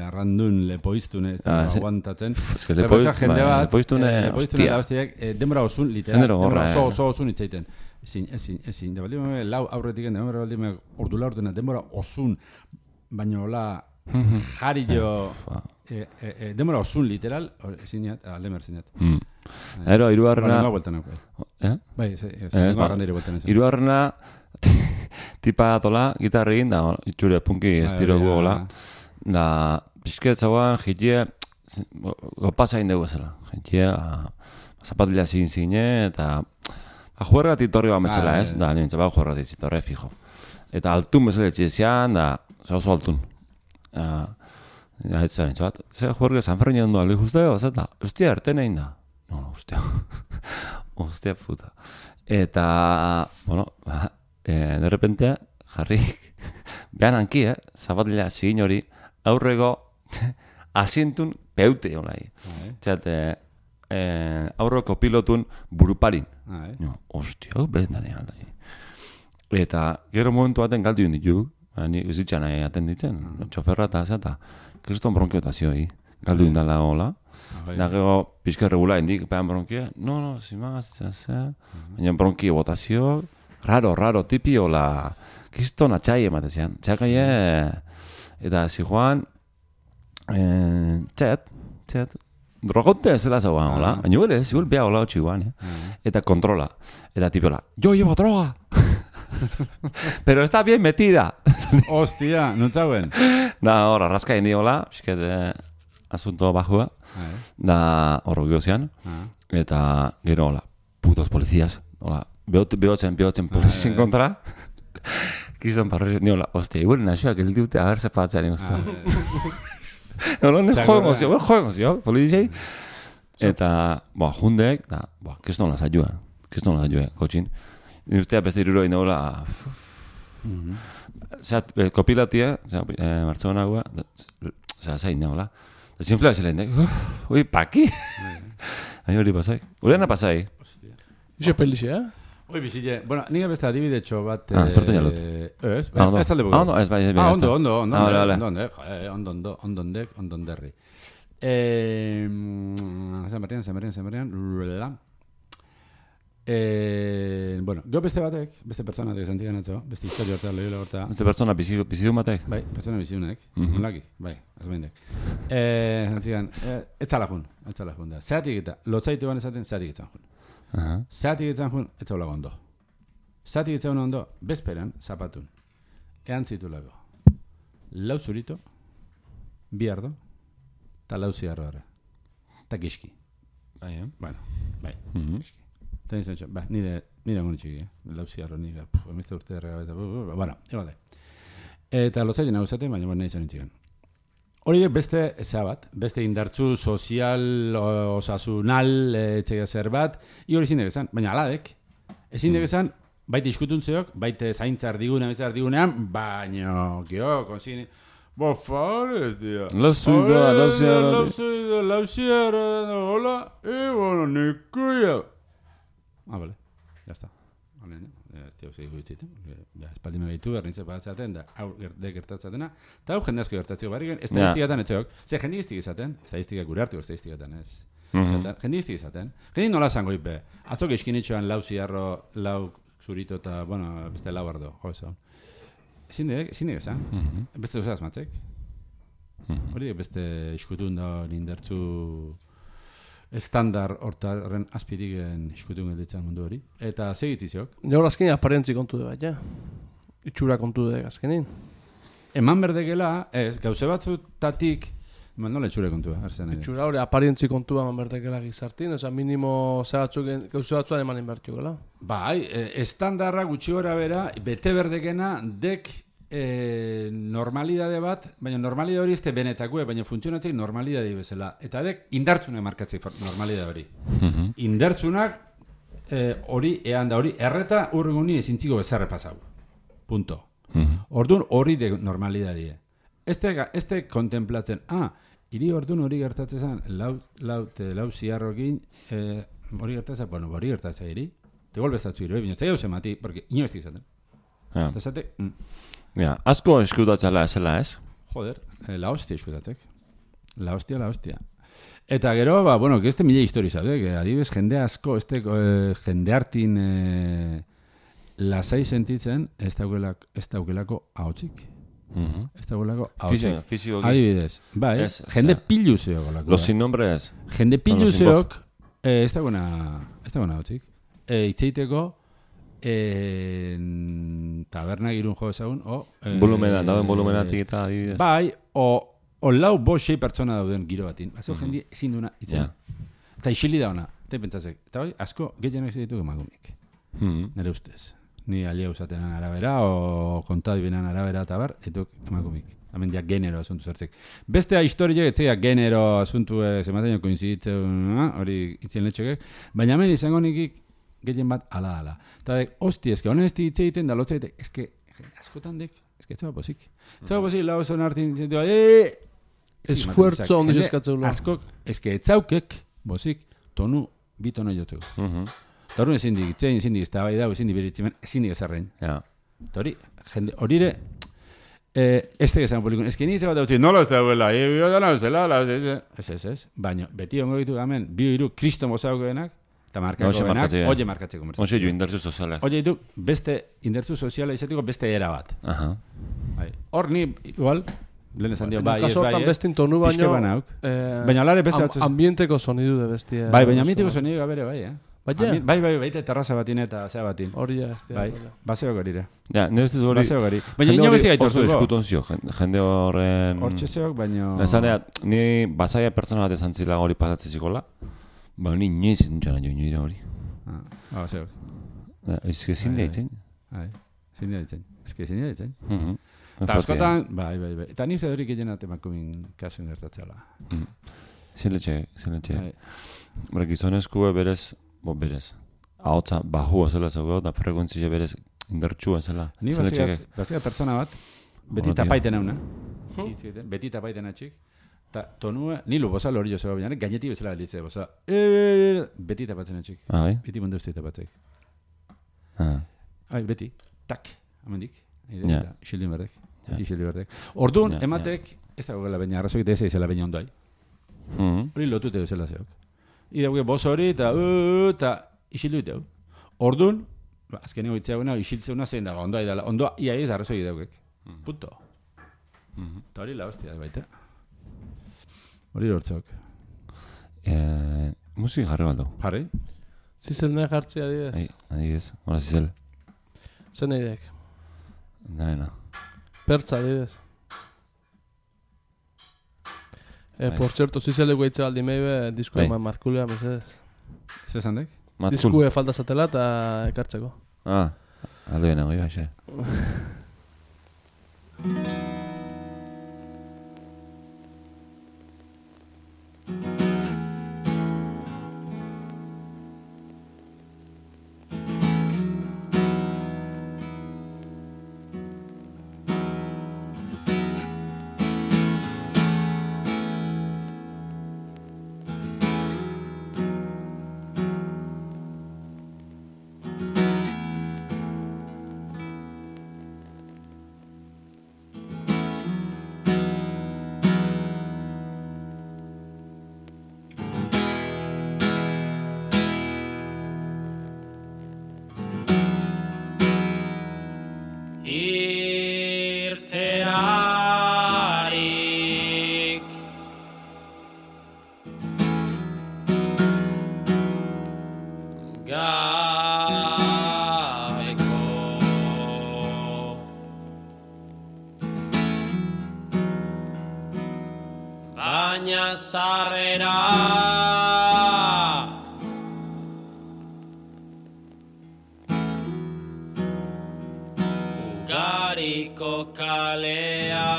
arrandun lepoiztun, ez da, aguantatzen. Lepoiztun, hostia. Denbora osun, literal, denbora oso osun itzaiten. Ezin, da baldima, lau aurretik, denbora baldima, ordula ordena, denbora osun, baina hola, jarillo, denbora osun, literal, ezin jat, aldemer ezin jat. Ero, iruarrena... Bai, arrandire bueltan ezin. Iruarrena... Tipa atola, gitarrin, da, itxure punki estiro guola. Da, pixketzagoan, jitie, gopazain dugu zela. Jitie, zapatila zine, eta juergatik torri bat bezala, ez? Da, nintzen, juergatik zitorre, fijo. Eta altun bezala etxezian, da, oso altun. Ez zaren, txabat, zer juerge San Fermin ondo alde justeo, zeta, hostia, erten egin da. No, hostia, hostia puta. Eta, bueno, de repente, jarri, behan hanki, zapatila zigin hori, aurrego, asientun peute olai. Txate, aurreko pilotun buruparin. No, hostia, behan danean da. Eta, gero momentu baten galdu ditu, ni uzitxan atenditzen, txoferra eta zeta, kriston bronkiotazio, galdu indala hola. Da gero, pixka regula indik, pean bronkia, no, zimagaz, baina bronki botazio, raro, tipi hola, kriston atxai ematezian. Txakaie, eta zijoan, txet, drogote zela zauan, hola, baina bere, zibel beha hola hotxi guan, eta kontrola, eta tipi hola, yo llevo droga! Pero está bien metida. Hostia, nutzauen. Da, hor, arraska indi hola, pisket asunto bajua, da, horro giozian, eta gero hola, putos polizías, hola, behotzen polizien kontra, kriston parroi, ni hola, hostia, igual naxoak el diute agarse patzean, hostia. No, joemos yo, polizei, eta, jundek, da, kriston las ayuda, kotxin. Ni ustea beste iruro inaula kopilatia, Bartzelonagoa, zain nagola. Desinflua zelen, ui, paki? Ahi hori pasai. Ureana pasai. Ixe pelixe, Oi, bizile. Bueno, niga beste adibidetxo bat... espertu jalut. Ez alde bugu. Ondo, ez bai. Ondonderri. Zemerian. Bueno, gero beste batek, beste pertsona batek zantigan atzo, beste historia horta, lehiola horta. Beste pertsona bizidun batek? Bai, pertsona bizidunek, onlaki, bai, azbendek. Zantigan, etzalajun da. Zeatik eta, lotzaitu ban ezaten, zeatik etzan jun. Zeatik etzan jun, etzaula gondo. Zeatik etzan ondo, bezperan, zapatun. Ean zitulako. Lau zurito, bi ardo, eta lau ziarro ara. Eta giski. Bueno, bai, giski. Nire monitxiki, lauziarro nire, emizte urte erregabeta, bueno, ebale. Eta lozaitin hau zaten, baina nahi zan intzigan. Hori beste zea bat, beste indartzu sozial, osasunal, etxega zer bat, hori ezin degezan, baina aladek, ezin degezan, baite iskutuntzeok, baite zaintzar digunean, baina, gio, konzini, favores, tía. Lauziarro, hola, bueno, nikuia. Vale, ya está. Vale, tío, sigo itzitzen. Espaldi megaitu, ernitze batzaten, da, hau gertatzatena. Eta hau jende asko gertatzeko barriken, estadistikatan etxeok. Ze, jende iztik izaten, estadistika gure hartuko estadistikatan ez. Jende iztik izaten. Jende nola zango ipe. Atzok eskinitxoan lau ziarro, lau zurito eta, bueno, beste lau ardo. Jo, eso. Ezin degezan. Beste duzaz matzek. Hori beste iskutun da nindertzu... estandar hortaren azpirigen iskutun gelditzen mundu hori. Eta segitziziok. Nero azkenin aparentzi kontu de bat, ja? Itxura kontu de azkenin. Eman berdekela, ez, gauze batzutatik, nola itxure kontua, arzen. Itxura hori aparentzi kontua eman berdekela gizartin, oza, minimo gauze batzuan emanen bertio gela. Bai, estandarra gutxi gora bera, bete berdekena, dek normalidade bat, baina normalidade hori ezte benetakue, baina funtzionatzei normalidade bezala. Eta dek indartzunak markatzei normalidade hori. Indartzunak hori, ean da hori, erreta urrenguni ezintziko bezarre pasau. Punto. Orduan hori de normalidadie. Este kontemplatzen, hiri orduan hori gertatzen lau ziarrokin, hori gertatzen, bueno, hori gertatzen hiri, te golbestatzu hiri, baina zai hau zemati, porque inoestik zaten. Eta zate... Ja, asko eskutatzela ezela, ez? Joder, la hostia eskutatzek. La hostia. Eta gero, bueno, que este mila histori zaude, que adibes jende asko, jende hartin lasai sentitzen, ez daukelako ahotzik. Ez daukelako ahotzik. Fiziko. Adibidez, bai, jende pilu zeok. Los sin nombre ez. Jende pilu zeok, ez dagoena ahotzik. Itzeiteko, taberna girun jo ezagun, dauen volumenatik eta adibidez. Bai, o lau sei pertsona dauden giro batin. Azio jendi ezin duna itzen. Eta isili da ona, eta pentsatzek. Eta bai, asko gehienak ez ditugu emakumik. Nere ustez. Ni alia usatenan arabera, o kontadibenan arabera eta bar, etuk emakumik. Hemen diak genero asuntu zertzek. Bestea historia etzea genero asuntu zematen koinziditzen, hori itzien letxokek, baina hemen izango nikik gehien bat ala. Eta dek, hosti, eske honen ez ditze egiten da lotza egiten, eske askotan dek, eske etzaba posik. Etzaba posik, lau zon hartin ditzen dira, esfuerzo ondo eskatzeu. Askok, eske etzaukek, bosik, tonu, bi tono jotzeko. Eta hori ezin dik, ezin dik, ez da bai dago, ezin dik beritzimen, ezin dik ezarrein. Eta hori, jende, horire, ez teke zan polikun, ez que ni zebat dautzi, nola ez dauela, ez, baina, beti ongo ditu gamen, bi hiru kristo mozauko denak, eta markako benak, oie markatzeko. Oye, jo, indertzu soziala. Oie ditu, beste, indertzu soziala izateko beste era bat. Hor ni, igual, lehen esan dio, bai, ez, bai, bestin tonu baino, baina alare beste batzuz. Ambienteko sonidu de bestia. Bai, baina ambienteko sonidu gabere, bai, Bai, terraza batin eta zea batin. Hori ja, ez bai, baseok horire. Ja, nire ez hori. Baseok hori. Baina ino besti gaitu oso eskutonzio, jende horren... Hortxezeok, baina... Ezanea, ni basaia pertsona bat esan zila hori pasatzen zikola, baina ni inoiz entxana jo inoire hori. Baseok. Ez que zin deitzen. Zin deitzen. Ez que zin deitzen. Eta askotan, bai. Eta nire hori gehien atemakumin kasuen gertatzela. Ziletxe. Bara, gizonezkue berez, ahotza bajua zela zego, da frekuentzia berez indartsua zela. Ni bazia pertsona bat, beti tapaiten euna. Beti tapaiten atxik. Eta tonua, nilu boza lori jo zego bianek, gainetik bezala balitze boza. Beti tapatzen atxik. Beti mundu uste tapatzek. Beti, tak, amendik. Xildin berdek. Orduan, ematek, ez dago gela baina arrazok eta ez izela baina ondoi. Hori lotute bezala zeok. Idauke boz hori eta isildu iteu. Orduan, azkeneko itzeaguna, isiltzeuna zein dago, ondoa idala. Ondoa, ia ez arrazoi idaukek. Punto. Eta hori la hostia baita. Hori lortzok. Musik jarri baldo. Jarri? Zizel nahi jartzea adibidez. Adibidez, hori zizel. Zen nahideak? Naena. Pertza adibidez. Por cierto, zizeleko eitze aldi meibe, diskue mazkulea, mesedez. Ez esan dek? Diskue falta zatela eta ekartzeko. Alde bena, goi baixe. baina sarrera Ugariko kalea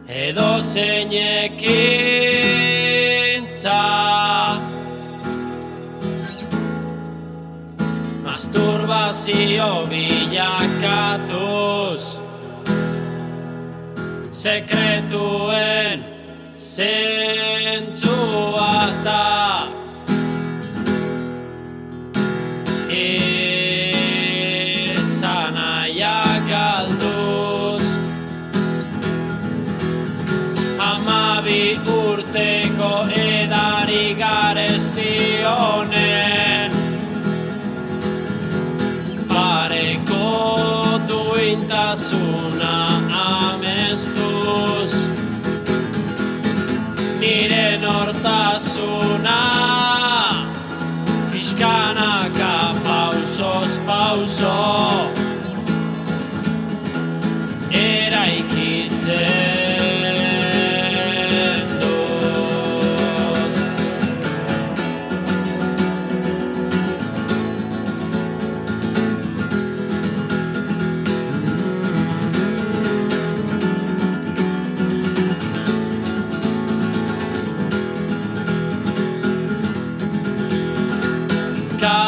edo zeinekintza masturbazio bilakatuz sekretuen zentzu bata izanaiak galduz Hamabi urteko edari garesti honen pareko duintasuna amestuz nire nortasuna pixkanaka pausoz pauso eraikitzen dut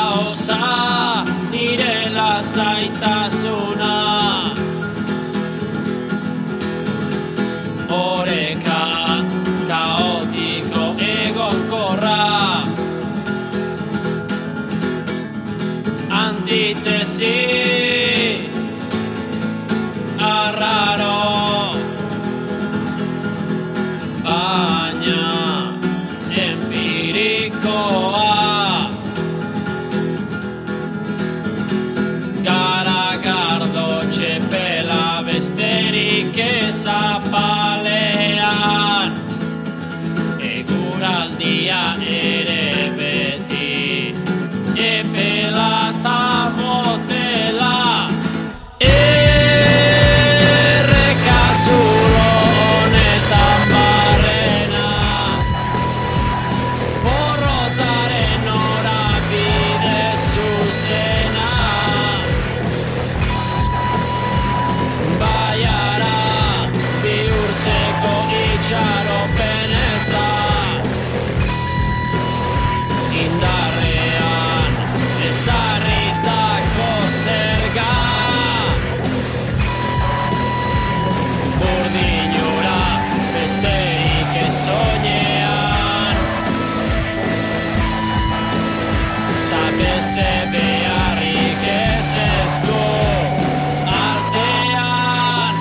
kaosa, nire lasaitasuna. Oreka kaotiko egonkorra, antitesi arraro, baina empirikoa. Garagardo txepela besterik ezapalean, eguraldia ere beti epela ta motela. Errekazulo honetan barrena, porrotaren norabide zuzena. Baiara bihurtzeko itxaropen eza, indarrean ezarritako zerga. Burdinura besterik ez soinean, ta beste beharrik ez esku artean.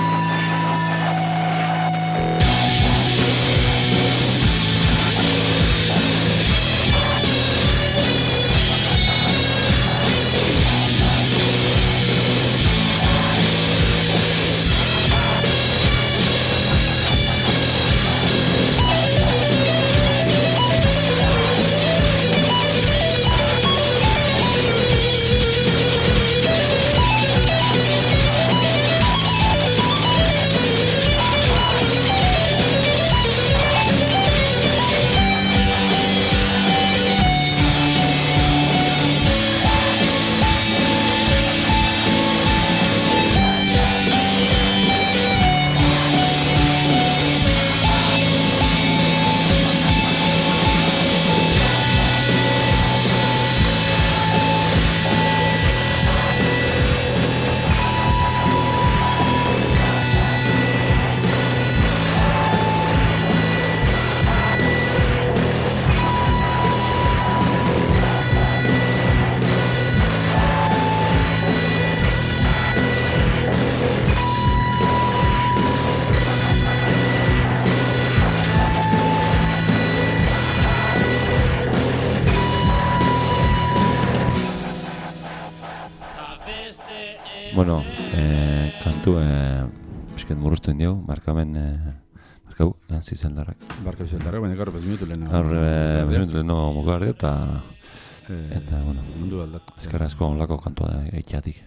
Bueno, kantu pixket murruztu indiau, markamen markau, zizeldarrak. Barkau zizeldarrak, baina gaur 5 minutu leheno. Gaur 5 minutu leheno mugar dio, eta, bueno, mundu aldat. ezkerrazko onlako kantua da, eitxatik.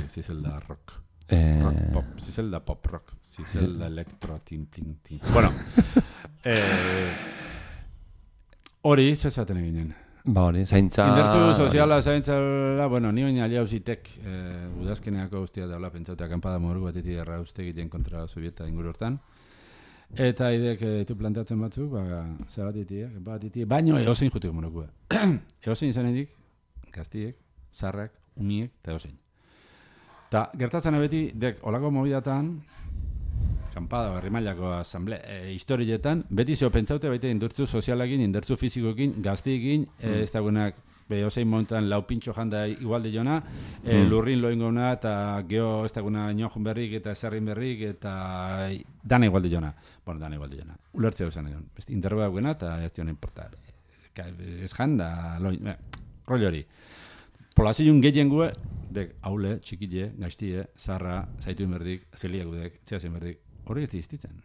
Zizelda rock. Rock pop, zizelda pop rock, zizelda elektro, tin. Bueno, hori zezaten eginen. Ba hori, zaintza... Indertzu soziala zaintzala, bueno, ni baina alia hausitek udazkeneako guztia daula pentsautea kanpada moru batetik erra uste egiten kontra Sovieta inguru hortan. Eta idek ditu plantatzen batzuk, batitiek, baino eozein jutik monokua. Eozein zanetik, gaztiek, zarrak, umiek, eta eozein. Ta gertatzen beti, dek, olako mobidatan, kanpada, herri mailako historietan, beti zeo pentsaute baita indurtzu sozialakin, indurtzu fizikokin, gaztiekin, ez dagoenak behozein montan lau pintxo janda igualde jona, lurrin loin gona, eta geho ez daguna inojon berrik, eta ezerrin berrik, eta dana igualde jona. Bueno, dana igualde jona. Ulertzea esan egon. Interroga dagoena, eta ez dion importa. Ez janda, loin, rollo hori. Polazioen gehien gue, dek, haule, txikile, gaiztie, zarra, zaituen berdik, zeliagudek, txeazen berdik, hori ez diztitzen.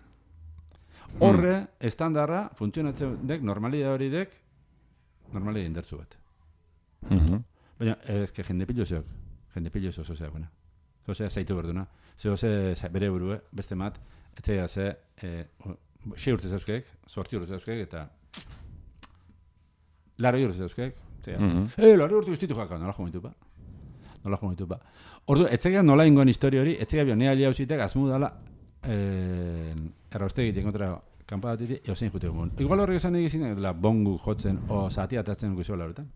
Horre, estandarra, funtzionatzen dek, normalidad hori dek, normalidad indertzu bat. Baina, ez que jende pillo oso zea buena. Zozea zaitu berduna. Zozea bere burue, beste mat, etzea ze, 6 urte zauzkeek, 8 urte zauzkeek, eta 8 urte zauzkeek, laro urte guztitu jaka, nola jomitu ba. Ordu, etzega nola ingoan historia hori, etzega bio, nea alia hausitek, azmu dala, errauzte egiten kontra kanpadatiti, eozein jute gumun. Igual horrek esan egizien, bongu jotzen, o zatia atatzen guizuela horretan.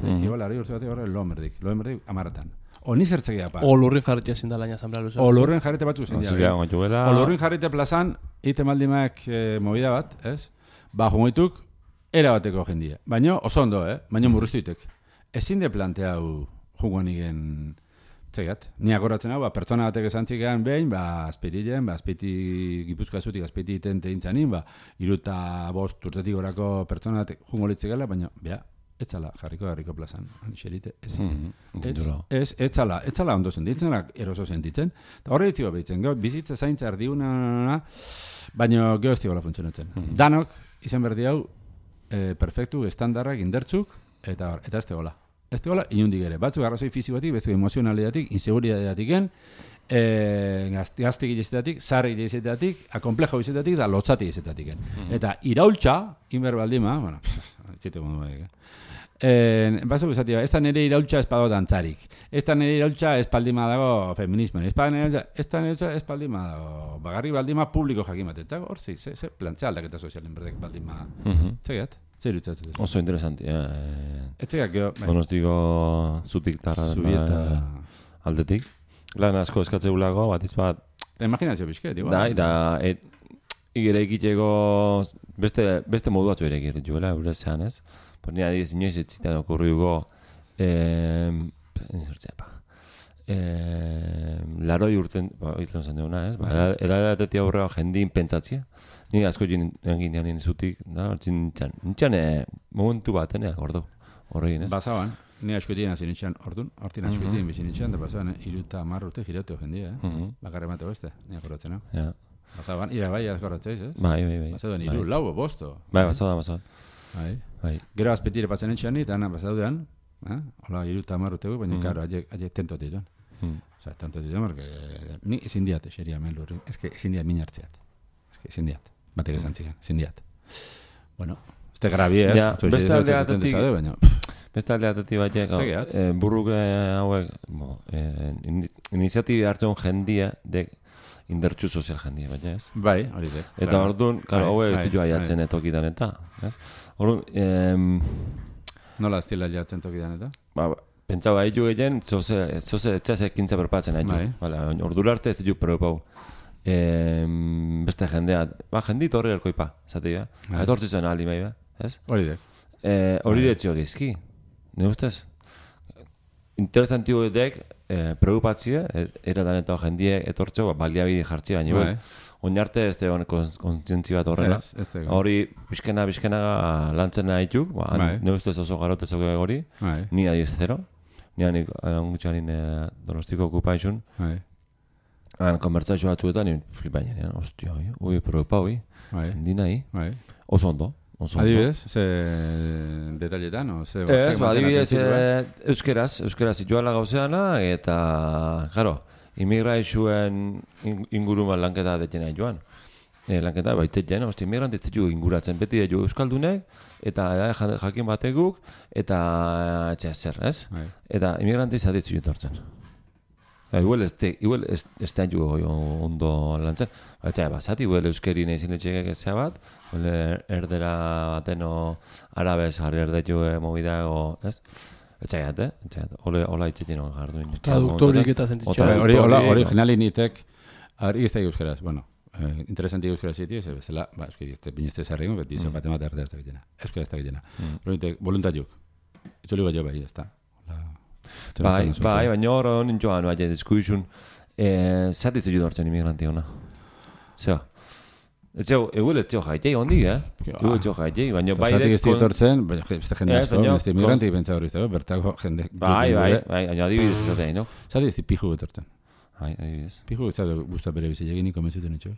Igual, ari urte batek horre lomerdik 10-etan. Oni zertzekea pa. O lurrin jarritea zindalaina asamblea luzea. O lurrin jarrite batzu zen ja. O lurrin jarrite plazan, ite maldimak movida bat, ez? Ba, jungoituk, era bateko jendia. Baina oso ondo, baina murriztuitek. Ezin de planteau jungoanigen txegat. Ni akoratzen hau, pertsona batek esantzikean behin, azpeitilen, azpeiti Gipuzkoa zutik, azpeiti tente intzanin, 35 urtetik gorako pertsona batek jungo litzekela, baina, ez zala jarriko plazan, anixerite, ez zala ondo sentitzen, eroso sentitzen, eta horre ditziko behitzen, bizitza zaintza erdiuna, baina geho ez tigola funtzionatzen. Danok, izan berdi hau, perfektu, estandarrak, indertzuk, eta ez tegola. Ez tegola, inundik ere. Batzuk arrazoi fizikoatik, bezuk emozionalidatik, inseguridadeatik, gaztik izetatik, zarri izetatik, akomplejo izetatik, da lotzati izetatik. Eta iraultza, inber baldima, bueno, zite gondu badik, batzuk esatia, ez da nire iraultza espado dantzarik, ez da nire iraultza espaldima dago feminismo, ez da nire iraultza espaldima dago, bagarri baldima publiko jakin bat, eta hor zi, ze plantzea aldaketa sozialen berdek baldima, txegat? Zer irutzatzen? Oso interesanti. Etzegak, geho... Donostiko zutik tarra aldetik. Lan asko eskatzeulago, bat izbat... Imaginazio bizket, igual. Da, ere ikiteko beste modu batzu ere ikirituela, eurezean, ez? Por nire adiz, inoiz ez zitan okurriuko... Laroi urten... Itlen zen duguna, ez? Edatetik aurrera jendin pentsatzia. Ni asko egin nien zutik, nintzen momentu bat, gordo, horregin, ez? Bazaban, ni askoetien hasi nintzen ordun, hortin askoetien bizi nintzen, da bazaban, 30 urte girateo jendia, bakarre mateo beste, ni akorratzen, no? Bazaban, ira bai akorratzeiz, ez? Bai. Bazaban, 3, 4, 5. Bai, bazaban. Bai. Gero azpetire patzen nintzen, eta bazaudean, hola, 30 urteko, baina, karo, aie tentotitu. Osa, tentotitu, porque ni ezin diate, xeria melurri, ezin diat min hartzeat. Ezin diat. Batek esan txikan, zindiat. Bueno, este grabi, ez? Beste aldeatetik batek, burruk hauek, iniziatibi hartzen jendia, dek indertxu sozial jendia, baina ez? Bai, hori dek. Eta orduan, hauek ez ditu aiatzen tokidan eta, ez? Orduan, nola ez dila aiatzen tokidan eta? Pentsau haitu egin, zoze etxaz ekintza berpatzen haitu. Ordura arte ez ditu preopau. Beste jendea, jendit horri erkoipa, zati, etortzi zuen aldi mai, ez? Hori dek. Hori detxio gizki, ne ustez? Interesantio edek, preocupatzia, eradan eta jendie etortxo, baliabide jartzi baina, oinarte ez da kontzientzi bat horrela. Hori, bizkena lantzen nahituk, ne ustez oso garotezok hori, ni adiz zero, ni hanik angutxanin Donostiko okupaizun, konbertsatxo batzuetan, flipainen, ostia, preocupa, hendi nahi, oso ondo. Adibidez, ze detailetan, o ze batzak adibidez, euskeraz ituala gauzeana, eta, jaro, imigraizuen inguruman lanketa detena joan. Lanketa baitetjen, imigranti ez ditu inguratzen, beti ditu euskaldunek, eta jakin bateguk, eta etxea zer, ez? Eta imigranti zaditzu jutortzen. Igual ez da ondo lantzen. Baina, basat, igual euskeri nahi zinetxeak ezea bat, erdera bateno arabez jarri erdetu mobidago, ez? Etxaiat, hola itxetin hon jardu. Traduktorik eta zentitxea. Hori generali nitek, ez da euskeraz, bueno, interesanti euskera zieti, ez bezala, euskeri ez da binezte zarri, beti izan bat erdera ez da gitena. Euskera ez da gitena. Voluntariuk. Itzoli bat jo bai, ez da. Bai, baina hor honin joan, baina diskuizun, zatitzen judu hartzen imigranti hona. Zeba. Eguel ez zio jaitei hondi, Eguel ez zio jaitei, baina bai... Zatik ez ditortzen, beste jende asko, beste imigranti pentsa hori iztego, bertako jende... Bai, baina adibidez ez zatein, no? Zatik ez di piju betortzen. Bai, adibidez. Piju ez zaten guztua bere bizitegi niko mezuten etxo.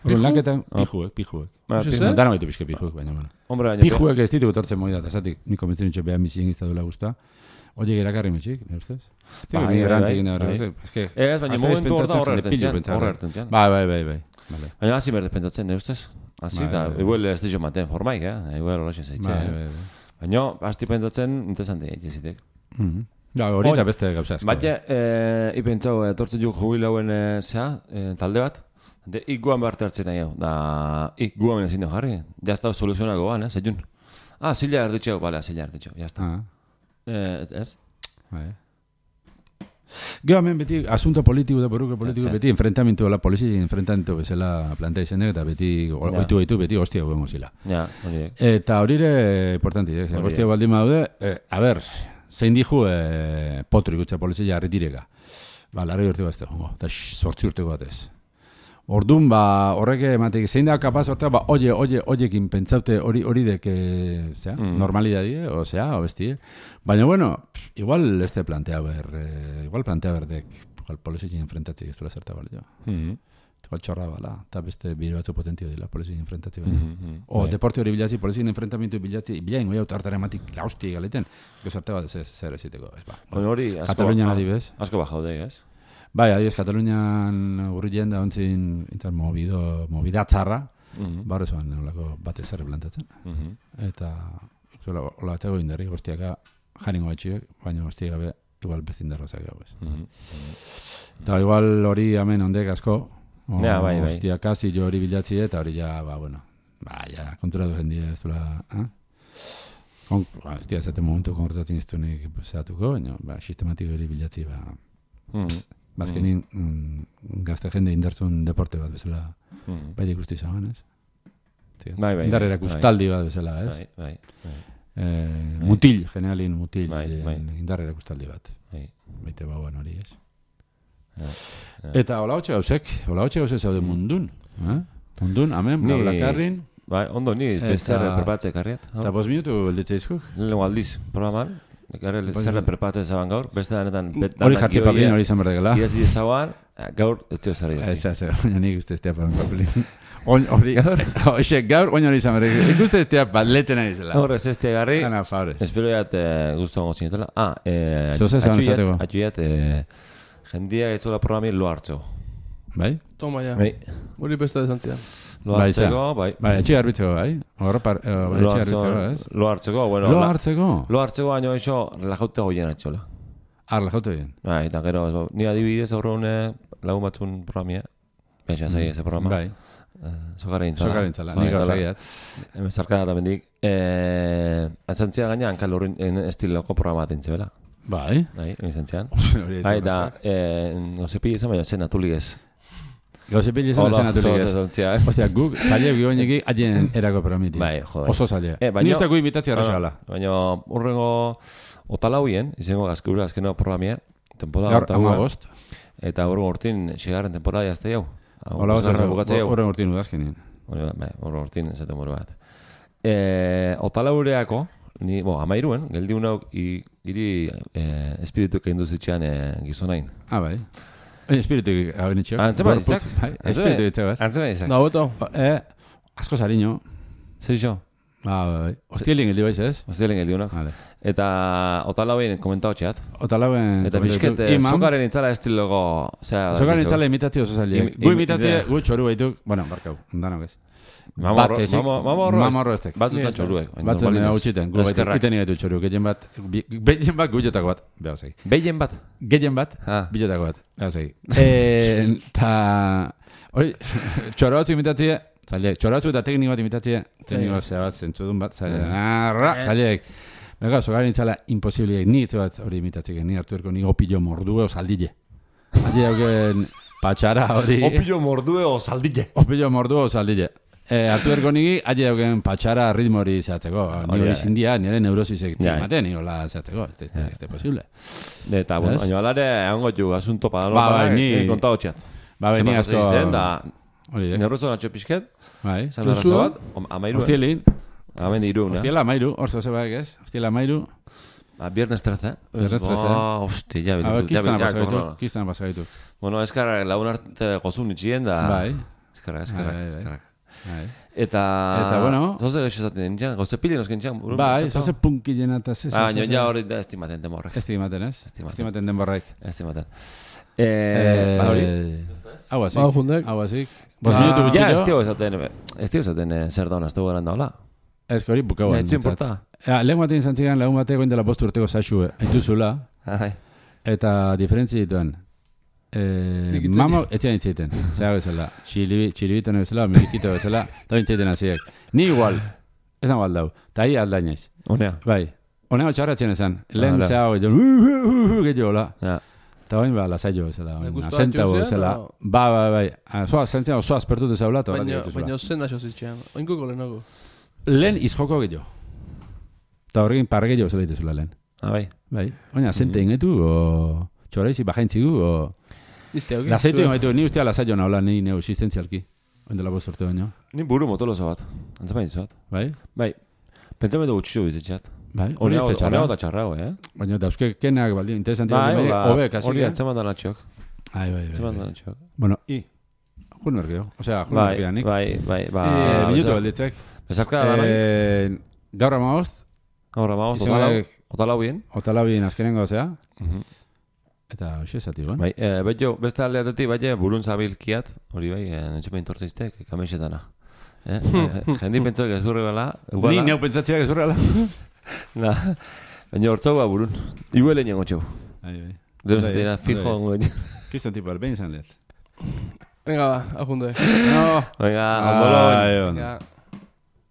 Lanketan, pijuek. Dana baitu pixke pijuek, baina, bueno. Pijuek ez ditu betortzen moi da, eta zatik niko mezuten etxo behan bizien izta duela guztua. Oye, erakarri metxik, ne ustez? Bai, baina momentu hor da horretzen zian. Bai. Baina hasi berdez pentsatzen, ne ustez? Hasi, eta igual ez dizo maten formaik, igual horrexen zaitxe. Baina, hasti pentsatzen, interesante egitezitek. Hori eta beste gauza asko. Baina, ipentzau, etortzen juk jubilauen talde bat, iguan behar hartzen nahi hau, da iguan ezin jarri, jazta soluzionako ban, zeiun. Zila erditxo, bale, zila erditxo, jazta. Ez? Bai. Gero hemen beti, asunto politiko da buruko politiko, beti enfrentamentu dela, polizia enfrentamentu bezala plantea izanek, eta beti, oitu beti hostia guen gozila. Ja, horiek. Eta horire, importanti, hostia baldin daude, a ber, zein dihu potru ikutza polizia jarritireka. Larri urte bat ez dago, eta 8 urteko batez. Orduan, horrek ematek, zein da kapaz hortega, oiekin pentsaute hori dek, normalidadie, o bestie. Baina, bueno, igual este plantea berdek, igual polizien enfrentatzik ez duela zerta balio. Igual txorra bala, eta beste bire batzu potentio dila polizien enfrentatzik baina. O, deporte hori bilatzi, polizien enfrentamentu bilatzi, bilain, goi autartara ematik lausti galeten, gozarte bat zer eziteko, ez ba. Hori, Katalunian adibez. Asko bajaude, ez? Bai, adiez, Katalunian urrien da ontzin mobidatzarra, barra zoan olako bate zerre plantatzen. Eta, hola batzeko indarri, goztiaka jaringo batxiek, baina goztiak gabe, igual beste indarra zak gau, ez. Eta igual hori hemen ondek asko, goztiaka zilo hori bilatzi eta hori ja, ja, konturatu jendia ez duela, ez dira zaten momentu konkortatzen iztunik zehatuko, baina sistematiko hori bilatzi, Bazkenin gazte jende indartzun deporte bat bezala bai ikusti zaban, ez? Indarrera kustaldi bat bezala, ez? Bai. Mutil, generalin mutil, indarrera kustaldi bat. Baite bauan hori, ez? Eta hola hotxe gauzek zaude mundun. Mundun, amen, blakarrin. Bai, ondo, ni zerre perpatzek harriat. Eta 5 minutu belditze izkuk? Lego aldiz, programan. Zerre perpatzen zaban gaur, beste danetan... Hori jartzi papelin hori izan berdegela. Iezi zaban, gaur ez dio zari datzi. Ez, baina nik uste ez tea papelin. Hori, gaur, oin hori izan berdegela. Ikuste ez tea letzen ari zela. Horrez ez tea garri. Ana, favorez. Espero jat guztu gongo zinetela. Zeuze zaban zateko. Atxuiat, jendia ez zola programien lo hartzeko. Bai? Toma ya. Hori beste desantzian. Lo hartzeko, bai. Bai, etxe garbitzeko, bai. Etxe garbitzeko, ez? Lo hartzeko, bueno. Lo hartzeko? Lo hartzeko baino eixo, relajaute goien atxola. Relajaute goien? Bai, eta gero, ni adibidez aurreune lagun batzun programia. Baixa zai ese programa. Bai. Sokarintzala, nik gauzagiat. Hemen zarkada eta bendik. Atzantzia gaina, hankal horren estiloko programa atentze, bela? Bai. Bai, izantzian. Bai, da, nozepi izan baina zen atulik ez. Gauze pili izan zen atulik ez. Ostia, guk, zaile giboneki adien erako programiti. Bai, joder. Oso zaile. Ni uste gu imitatzia arrezala. Baina, urrengo otalauien, izango gazkeura, azkeno programia, temporada gaur, amagost. Eta urrengo urtin, xigarren temporada jazte jau. Urrengo urtin udazkenien. Urrengo urtin, ez temuru bat. Otalaureako, ni, amairuen, geldi unauk, iri espiritu kein duzitxean gizonain. Bai. Espiritu gabenitxeak. Antzema izak? Espiritu izak. Antzema izak. Da, beto. Asko zariño. Zer iso? Bai. Ostielien geldi baiz, ez? Ostielien geldi unak. Eta otalauen komentau txeat. Otalauen... Eta bizket, zokaren intzala estilogo... Zokaren intzala imitatzi oso zaile. Gu imitatzi, gu txoru baituk... Bueno, barkau, danok ez. Mamorro estek. Batzutan txoruek. Batzuen hautxiten. Gu iten igaitu txoru. Gehien bat gujotako bat. Behazai. Behien bat? Gehien bat, bilotako bat. Behazai. Eta... Hoi, txoro batzuk imitatzi... Txoro batzuk eta tekniko bat imitatzi... Tekniko zebat, zentzudun bat. Zaliek. Bega, zogaren itzala imposibliek. Ni itzu bat hori imitatzik. Ni hartu erko ni opillo mordue o saldille. Adi hauken patxara hori... Opillo mordue o saldille. Opillo mordue o saldille. Artu erko nigi, aile dauken patxara ritmo hori zehatzeko. Ni hori zindia, nire neurosizek zimaten, ni hola zehatzeko. Ez da posible. Eta, bueno, baina alare, egon gotu, asunto padano, ni kontau txat. Ni asko... Neurozo natxo pixket. Bai. Zalberrazo bat, amairuen. Hostielin. Amendi irun, Hostiela amairu, hor zoze baek ez. Hostiela amairu. Viernes 13. Viernes 13. Hosti, ja bitu. Kistana pasagaitu. Bueno, eskarra, lagun arte gozun itxien da... Bai. Eskarra. Eta bueno, zoze gexo zaten nintzen, goze pili nosken txan. Bai, zoze punkillen eta zez. Baina ja hori da estimaten denborrek. Estimaten ez? Estimaten denborrek. Estimaten. Hau azik. 5 minutu gutxiko. Ja, ez tio zaten zer dauna, ez dugu eran daula. Ez hori bukau. Ez importa. Lehen batean izan zigan, lagun batean goindela 5 urteko zaxue, haituzula. Eta diferentzi dituen. Mamo, etxean itzaiten. Zerago bezala. Txiribito bezala, medikito bezala. Eta itzaiten haziek. Ni igual. Ez nago aldau. Ta hi aldainez. Honea. Bai. Honea txarratzen esan. Lehen Hala. zehau gehiago la. Ja. Eta bain ba, lasaio ezela. Gustua Asentau dituzu, ezela. no? Bai. Zoa, zentzen oso aspertut ezaula. Baina zen aso zitxean. Oinkuko lehenago. Lehen izjoko gehiago. Eta horrekin parre gehiago zela dituzula lehen. Bai. Bai. Oina, zente ingetu, o txoraizi bajaintzigu, o... Nizte hauki. Lasaitu ingaitu, ni ustea lasaio nahola, ni neu existentzialki. Oindela bostorte baino. Ni buru motolozo bat. Antzapain izot. Bai? Bai. Pentsamendu gutxixo bizitxat. Bai, hori ez da txarra. Honea da txarrao, Baina dauzke kenak baldin, interesantia Bai, baldin, hobe, kasi. hori antzaman da natxok. Bai. Antzaman da natxok. Bueno, jun ergeo. Osea, jun ergeanik. Bai. Minutu balditzek. Bezarka da nahi? Gaur amagozt. Gaur amagozt, otalauien. Otalauien azkenengo, osea. Eta hoxe esati, guen. Bai, beste aldeatetik, bai, burun zabilkiat, hori bai, nintxupein tortziztek, kamexetana. Jendi pentsau gezurri bala. Ni neu pentsatziak gezurrela. Baina hortzau burun. Iguele niango txau. Bai. Dero dira fijo ongo. Kriston tipo, behin zan lehet. Venga, ba, ajunde. No. Venga, ondolo. Venga.